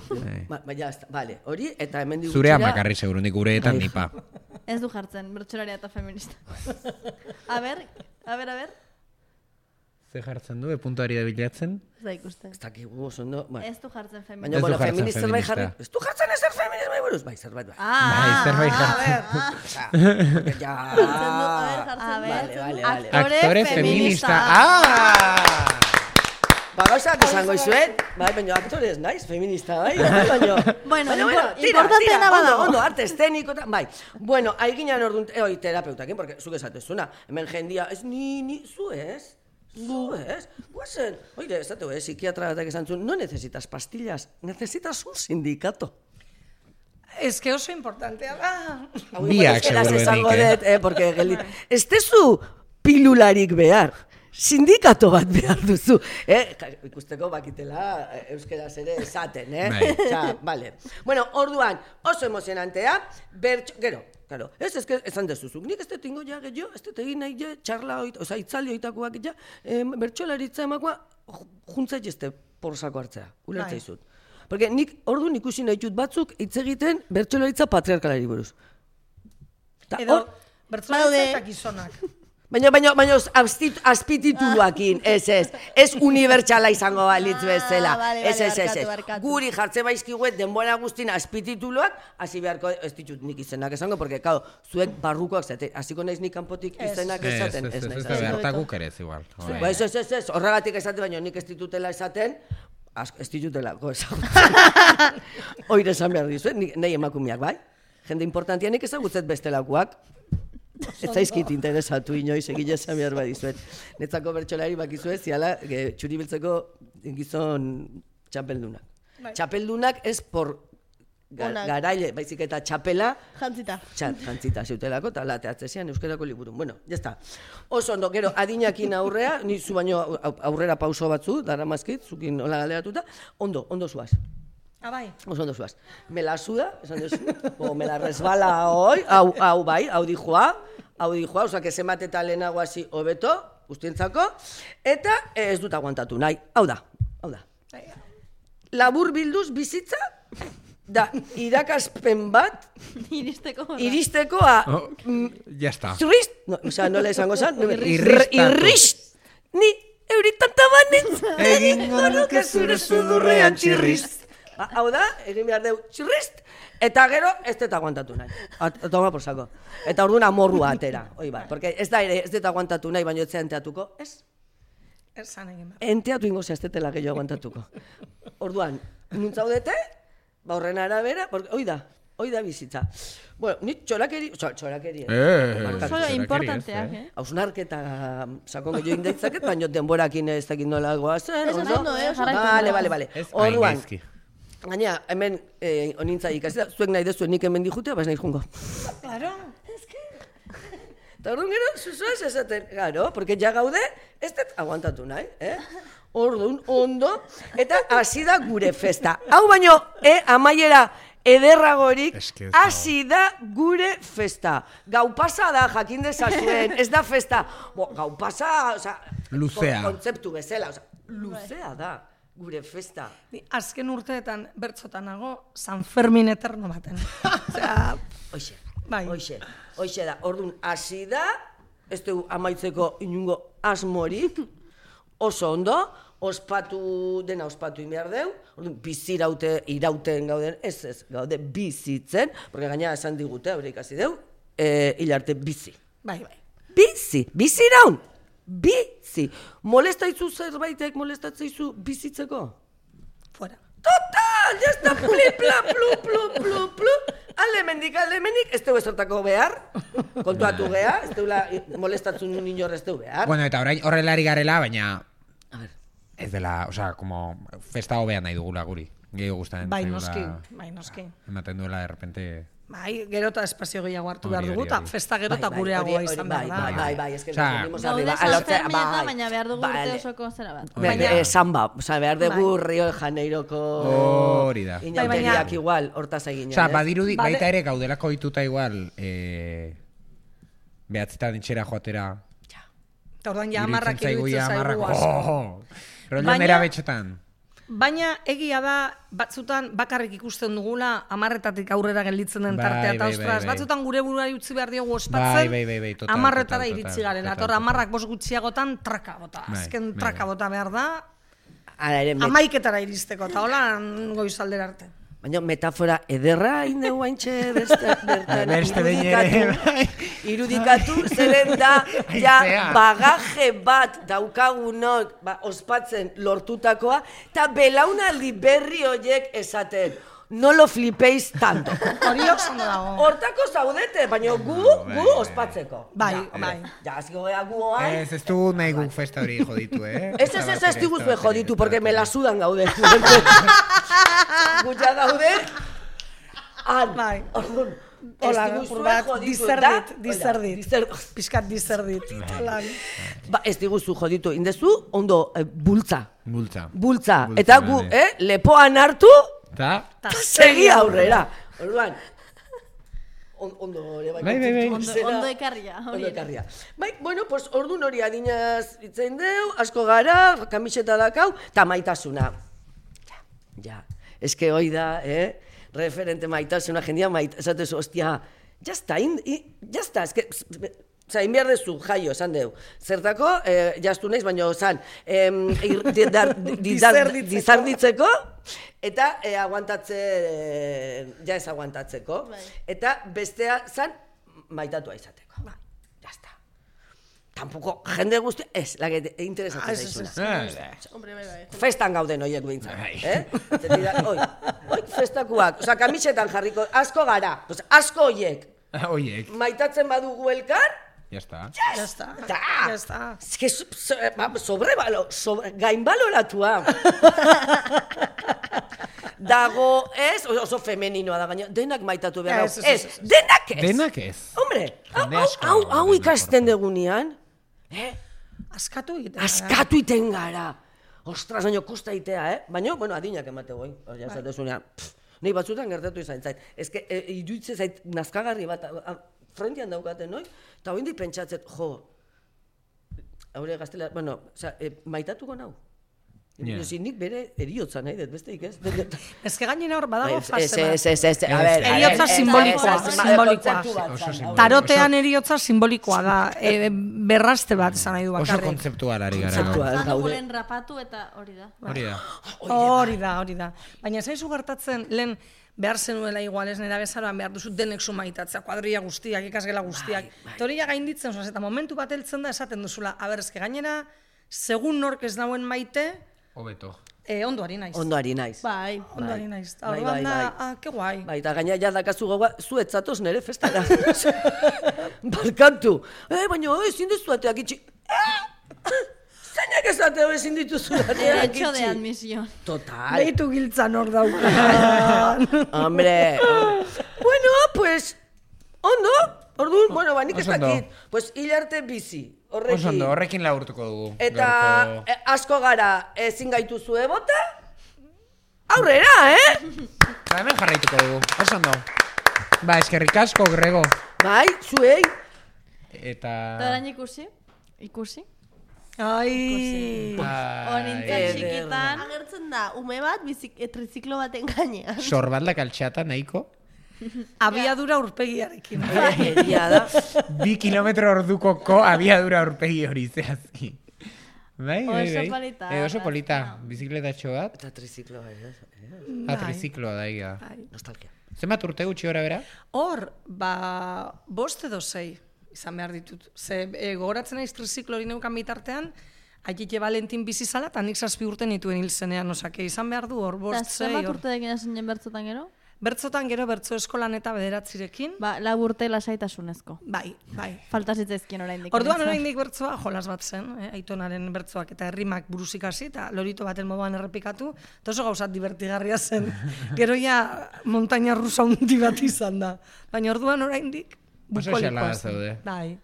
Ja, bale, hori, eta hemen digutxera... Zure amakarri seguru, nik gureetan nipa. Ez du jartzen, bertsolaria eta feminista. A ber. Ze jartzen du, puntuari da bilatzen? Ez da ikusten. Ez dakigu oso ondo... Ez du jartzen feminista. Baina, bueno, feminista zerbait jarri... Ez du jartzen ezer feminismo buruz? Bai, zerbait bai. Bai, zerbait jartzen. Ja... Vale. Aktore feminista. Gauzak esango izuet, bai, baina aktore ez naiz, feminista, bai, baina... Bueno, importanteena bada. Ondo, arte eszeniko, bai. Bueno, haiginan orduan, terapeutakin, porque zuk esatezuna, hemen jendia, ez ni, zu ez? Guazen, oire, esateu, psikiatra batak esan zuen, no necesitas pastillas, necesitas un sindicato. Ez que oso importantea da. Biak, seguruenik, porque ez tezu pilularik behar. Sindikato bat behar duzu. Ikusteko bakitela euskeraz ere esaten, Vale. Bueno, orduan, oso emozionantea, gero, claro, ez que esan dezuzuk, nik ez dut ingo ja gehiago, ez dut egin nahi txarla, oza, itzali oitakoak ja, bertxolaritza emakoa, juntzait ezte porsako hartzea, ulertza izut. Porque nik orduan ikusi nahi dut batzuk hitz egiten bertxolaritza patriarkalari buruz. Edo, bertxolaritza eta gizonak. Baina azpitituluakin, ez unibertsala izango balitz bezala. Ez. Guri jartzen baizkiguet denbora guztin azpitituluak, hasi beharko ez ditut nik izenak esango, porque, claro, zuek barrukoak zate, hasiko naiz nik kanpotik izenak esaten. Ez da behartakuk ere ez igual. Ez, horregatik esate, baina nik ez ditutela esaten, ez ditutelako esagutzen. Oire esan behar dizuet, nahi emakumeak, bai? Jende importantia nik ezagutzet bestelakoak. Ez zaizkit interesatu inoiz egile esan behar badizuet. Netzako bertsolari bakizuet, ziala, txuri biltzeko gizon txapeldunak. Txapeldunak ez por garaile, baizik eta txapela... Jantzita. Jantzita zeutelako, eta lateatzezian euskerako liburun. Bueno, jazta. Oso ondo, gero, adinakin aurrea, ni zu baino aurrera pauso batzu, dara mazkit, zukin hola galderatuta, ondo zuaz. Bai. Oso ondo zuaz. Me la suda, esan duzu, o me la resbala hoy, hau bai, hau dijoa, oza, que se mate eta lehenago hasi hobeto, guztientzako, eta ez dut aguantatu nahi. Hau da. Labur bilduz bizitza, da irakaspen bat, iristeko a... Ya está. Zurrist, nola esango zan? Irrist, ni euritanta banitz, egingo nuke zure sudurrean txirrist. Hau da, egin behar deu txirrist, eta gero ez dut aguantatu nahi. Toma por saco. Eta orduan amorrua atera. Porque ez da ere, ez dut aguantatu nahi, baina ez enteatuko. Ez? Esan egin behar. Enteatu ingo zehaztetela gehiago aguantatuko. Orduan, nuntzaudete, horren arabera, hoi da bizitza. Bueno, ni txorakeri... Solo importanteak, hausnarketa sakon gehiago indaitzaket, baina denborakin ez dakit nola goazen. Vale. Orduan, gaina, hemen onintza ikasita, zuek nahi dezuen nik hemen dijutea, bas nahi jungo. Claro. Eta orduan gero, zuzoaz esaten, garo, porque ja gaude, ez dut aguantatu nahi, Orduan, ondo, eta hasi da gure festa. Hau baino, amaiera ederragorik, hasi da gure festa. Gau pasa da, jakin dezazuen, ez da festa. Gau pasa, luzea. Kontzeptu bezala, luzea da. Gure festa. Azken urteetan bertzotan nago, San Fermin eterno baten. Hoxe da, orduan hasi da, ez dugu amaitzeko inungo asmorik, oso ondo, dena ospatu inbehar deu, orduan irauten gauden, ez gaude bizitzen, porque gaina esan digute, hori ikasi deu, hilarte bizi. Bai. Bizi iraun! Bizi! Molestaizu zerbaitek molestatzeizu bizitzeko? Fuera. Total! Ya está! Plu! Alemendik, ez dugu ezertako behar, kontuatu geha, ez dugu molestatzen inor ez dugu behar. Bueno, eta horrelari garela, baina ez dela, como festa hobean nahi dugula guri. Gehiago gustatzen bai, noski. Ematen duela, de repente... Bai, gero eta espazio gehiago hartu behar dugu, eta festa gero eta gureagoa izan behar da. Bai, ez que nos unimos arriba. Baina behar dugu urte osoko zera bat. Samba, behar dugu Rio de Janeiroko... Hori da. Inauteriak igual, hortaz egin. Badirudi, baita ere gaudelako dituta igual, behatzetan etxera joatera... Eta orduan ja amarrak iruditzen zaigu. Rollo nera betxetan. Baina egia da, batzutan bakarrik ikusten dugula 10:00 aurrera gelditzen den tartea, eta ostras, batzutan gure buruari utzi behar diogu ospatzen, 10:00 iritsi garela, eta 10:00 gutxiagotan traka bota, azken traka bota behar da, 11:00 iristeko, eta hola goizaldera arte. Baina metafora ederra indegu haintxe bertan irudikatu, zeren da, bagaje bat daukagunok ospatzen lortutakoa, eta belaunaldi berri horiek esaten, no lo flipéis tanto. Hori ondo dago. Hortako zaudete, baina gu ospatzeko. Bai. Ja, aziko geha gu oain. Ez du nahi guk festa hori joditu, Ez diguzue joditu, porque me la sudan gaude. Gutxa gaude. Bai. Hola, dizerdit. Piskat dizerdit. Ez diguzu joditu, indezu, ondo, bultza. Eta gu, lepoan hartu, segi aurrera. Orduan, ondo ere bai. Ondo ekarria. Bai, bueno, pues ordun hori adinaz itzen deu, asko gara, kamiseta dakau, eta maitasuna. Ja, eske hoi da, referente maitasuna, jendia esatezu, ostia, jazta, eske... Osa, inbiar dezu, jaio, esan deu. Zertako, jaztu naiz, baina zan, dizarditzeko, eta ja ez aguantatzeko. Eta bestea zan, maitatua izateko. Jazta. Tampoco, jende guzti, ez, lage, interesatzen zaizuna. Festan gauden horiek behintzat. Hoi, festakuak, osa, kamisetan jarriko, asko gara, asko horiek. Maitatzen badugu elkar, Ya está. Es que gainbaloratua. Dago ez, oso femeninoa da gaina, denak maitatu behar. Denak ez. Hombre, hau ikasten degunean, askatu iten gara. Ostras, baina kosta itea, Baina, bueno, adinak emate goi. Ja, esatezunean, nahi batzutan gertatu izan zait. Ez que, iruditzen zait, nazkagarri bat, frentean daukaten, noi? Eta hoindik pentsatzet, haure gaztela, bueno, maitatuko nau. Yeah. Nik bere eriotza nahi dut, besteik ez? Ez que gainera hor badago fase bat. Ez, a ver. Eriotza simbolikoa. Tarotean eriotza simbolikoa da. Berraste bat esan nahi du Oso bakarrik. kontzeptual ari gara. Zanugulen rapatu eta hori da. Hori da. Baina zaizu gertatzen, lehen behar zenuela igual ez nera bezaroan behar duzu denek sumaitatzea, kuadrilla guztiak, ikasgela guztiak. Eta hori ja gainditzen, eta momentu bat heltzen da esaten duzula, eske gainera, segun nork ez dauen maite, Hobeto. Ondoari naiz. Ondoari naiz. Bai. Ondoari naiz. Orduan da, ke guai. Bai, eta gaina ja dakazu gogoa, zu etzatoz nere festara. Barkatu. Baina, ezin duzu ateak itxi. Zainak esateo ezin dituzu ateak itxi. Derecho de admisión. Total. Behitu giltzan hor daukan. Hombre. Bueno, pues, ondo. Orduan, bueno, nik ez dakit. Pues, hilarte bizi. Horrekin laburtuko dugu. Eta asko gara ezin gaituzu bota? Aurrera, Hemen jarraituko dugu. Oso ondo. Ba, eskerrik asko, Grego. Bai, zuei. Eta orain ikusi? Ai. Honintzen txikitan. Agertzen da, ume bat triziklo baten gainean. Sorbaldak altxata nahiko. Abiadura urpegiarekin. Egia da. 2 kilometro ordukoko abiadura aurpegi hori zehazki. Bai. Oso polita. Oso polita. Bizikletatxo bat. Eta trizikloa, Trizikloa da, iga. Nostalgia. Zenbat urte gutxi gora bera? Hor, 5 edo 6 izan behar ditut. Ze gogoratzen naiz triziklo hori neukan bitartean, Aitite Valentin bizi zala, eta nik 7 urte nituen hil zenean, osake, izan behar du hor, 5, 6 hor. Eta zenbat urte dekin zinen bertzotan gero? Bertzotan gero bertzo eskolan eta 9 Ba, 4 urte lasaitasunezko. Bai. Falta zitzaizkien oraindik. Orduan oraindik bertzoa jolas bat zen, Aitonaren bertzoak eta herrimak buruz ikasi eta lorito baten moduan errepikatu, eta oso gauzat divertigarria zen. Gero ja montaña rusa hundi bat izan da. Baina orduan oraindik bukolikoa zen. Bai.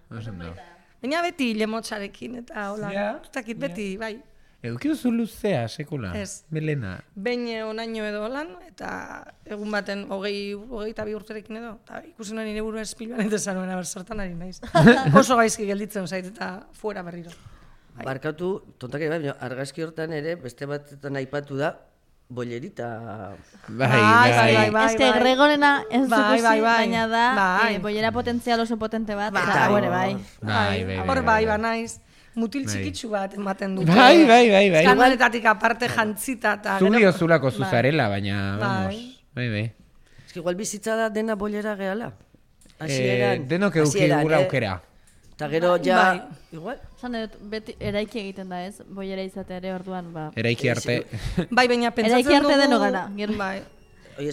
Baina beti lemotxarekin eta hola, ustakit beti, bai. Eduki duzu luzea, sekula? Ez. Melena. Behin onaino edo holan, eta egun baten 22 urterekin edo, eta ikusi nuen nire burua espiluan eta zanuen abertzertan ari naiz. Oso gaizki gelditzen zait eta fuera berriro. Barkatu, tontak bai, argazki hortan ere, beste batetan aipatu da, bollerita. Bai. Ez que Gregorena ez dukusi, baina da, bollera potentzial oso potente bat, eta gore, bai. Hor bai, naiz. Mutil txikitsu bat ematen dute. Bai. Kanaletatik aparte jantzita eta... Zulio zulako zuzarela, baina, vamos. Bai. Ez que igual bizitza da dena bollera gehala. Hasieran. Denok eduki dugula aukera. Eta gero ja... Igual? Zan dut, beti eraiki egiten da ez, bollera izate ere orduan, ba... Eraiki arte. Bai, baina pentsatzen dugu... Eraiki arte deno gara.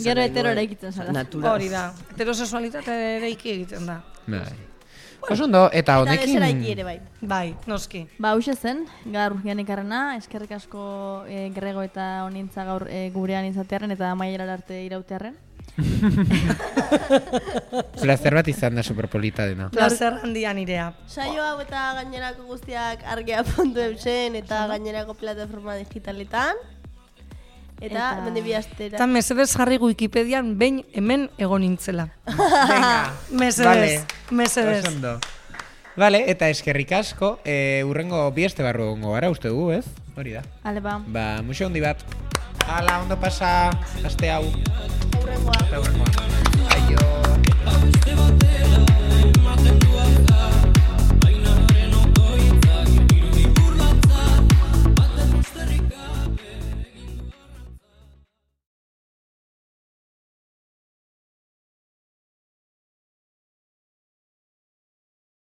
Gero hetero eraikitzen zara. Hori da. Heterosexualitate eraiki egiten da. Bai. Oso ondo, eta honekin... Eta deseraiki ere bai. Bai, noski. Ba, hause zen, gaur Janikarrena, eskerrik asko Grego eta honintza gaur gurean izatearen eta Amaierar arte irautearen. Plazer bat izan da superpolita dena. Plazer handia nirea. Saio hau eta gainerako guztiak argia.eusen eta gainerako plataforma digitaletan. Eta mende bi astera. Eta mesedez jarri Wikipedian behin hemen egon nintzela. Venga. Mesedez. Vale, eta eskerrik asko, urrengo bi aste barru gongo gara, uste dugu, ez? Hori da. Ale, ba. Ba, muxo handi bat. Hala, ondo pasa, aste hau. Urrengoa.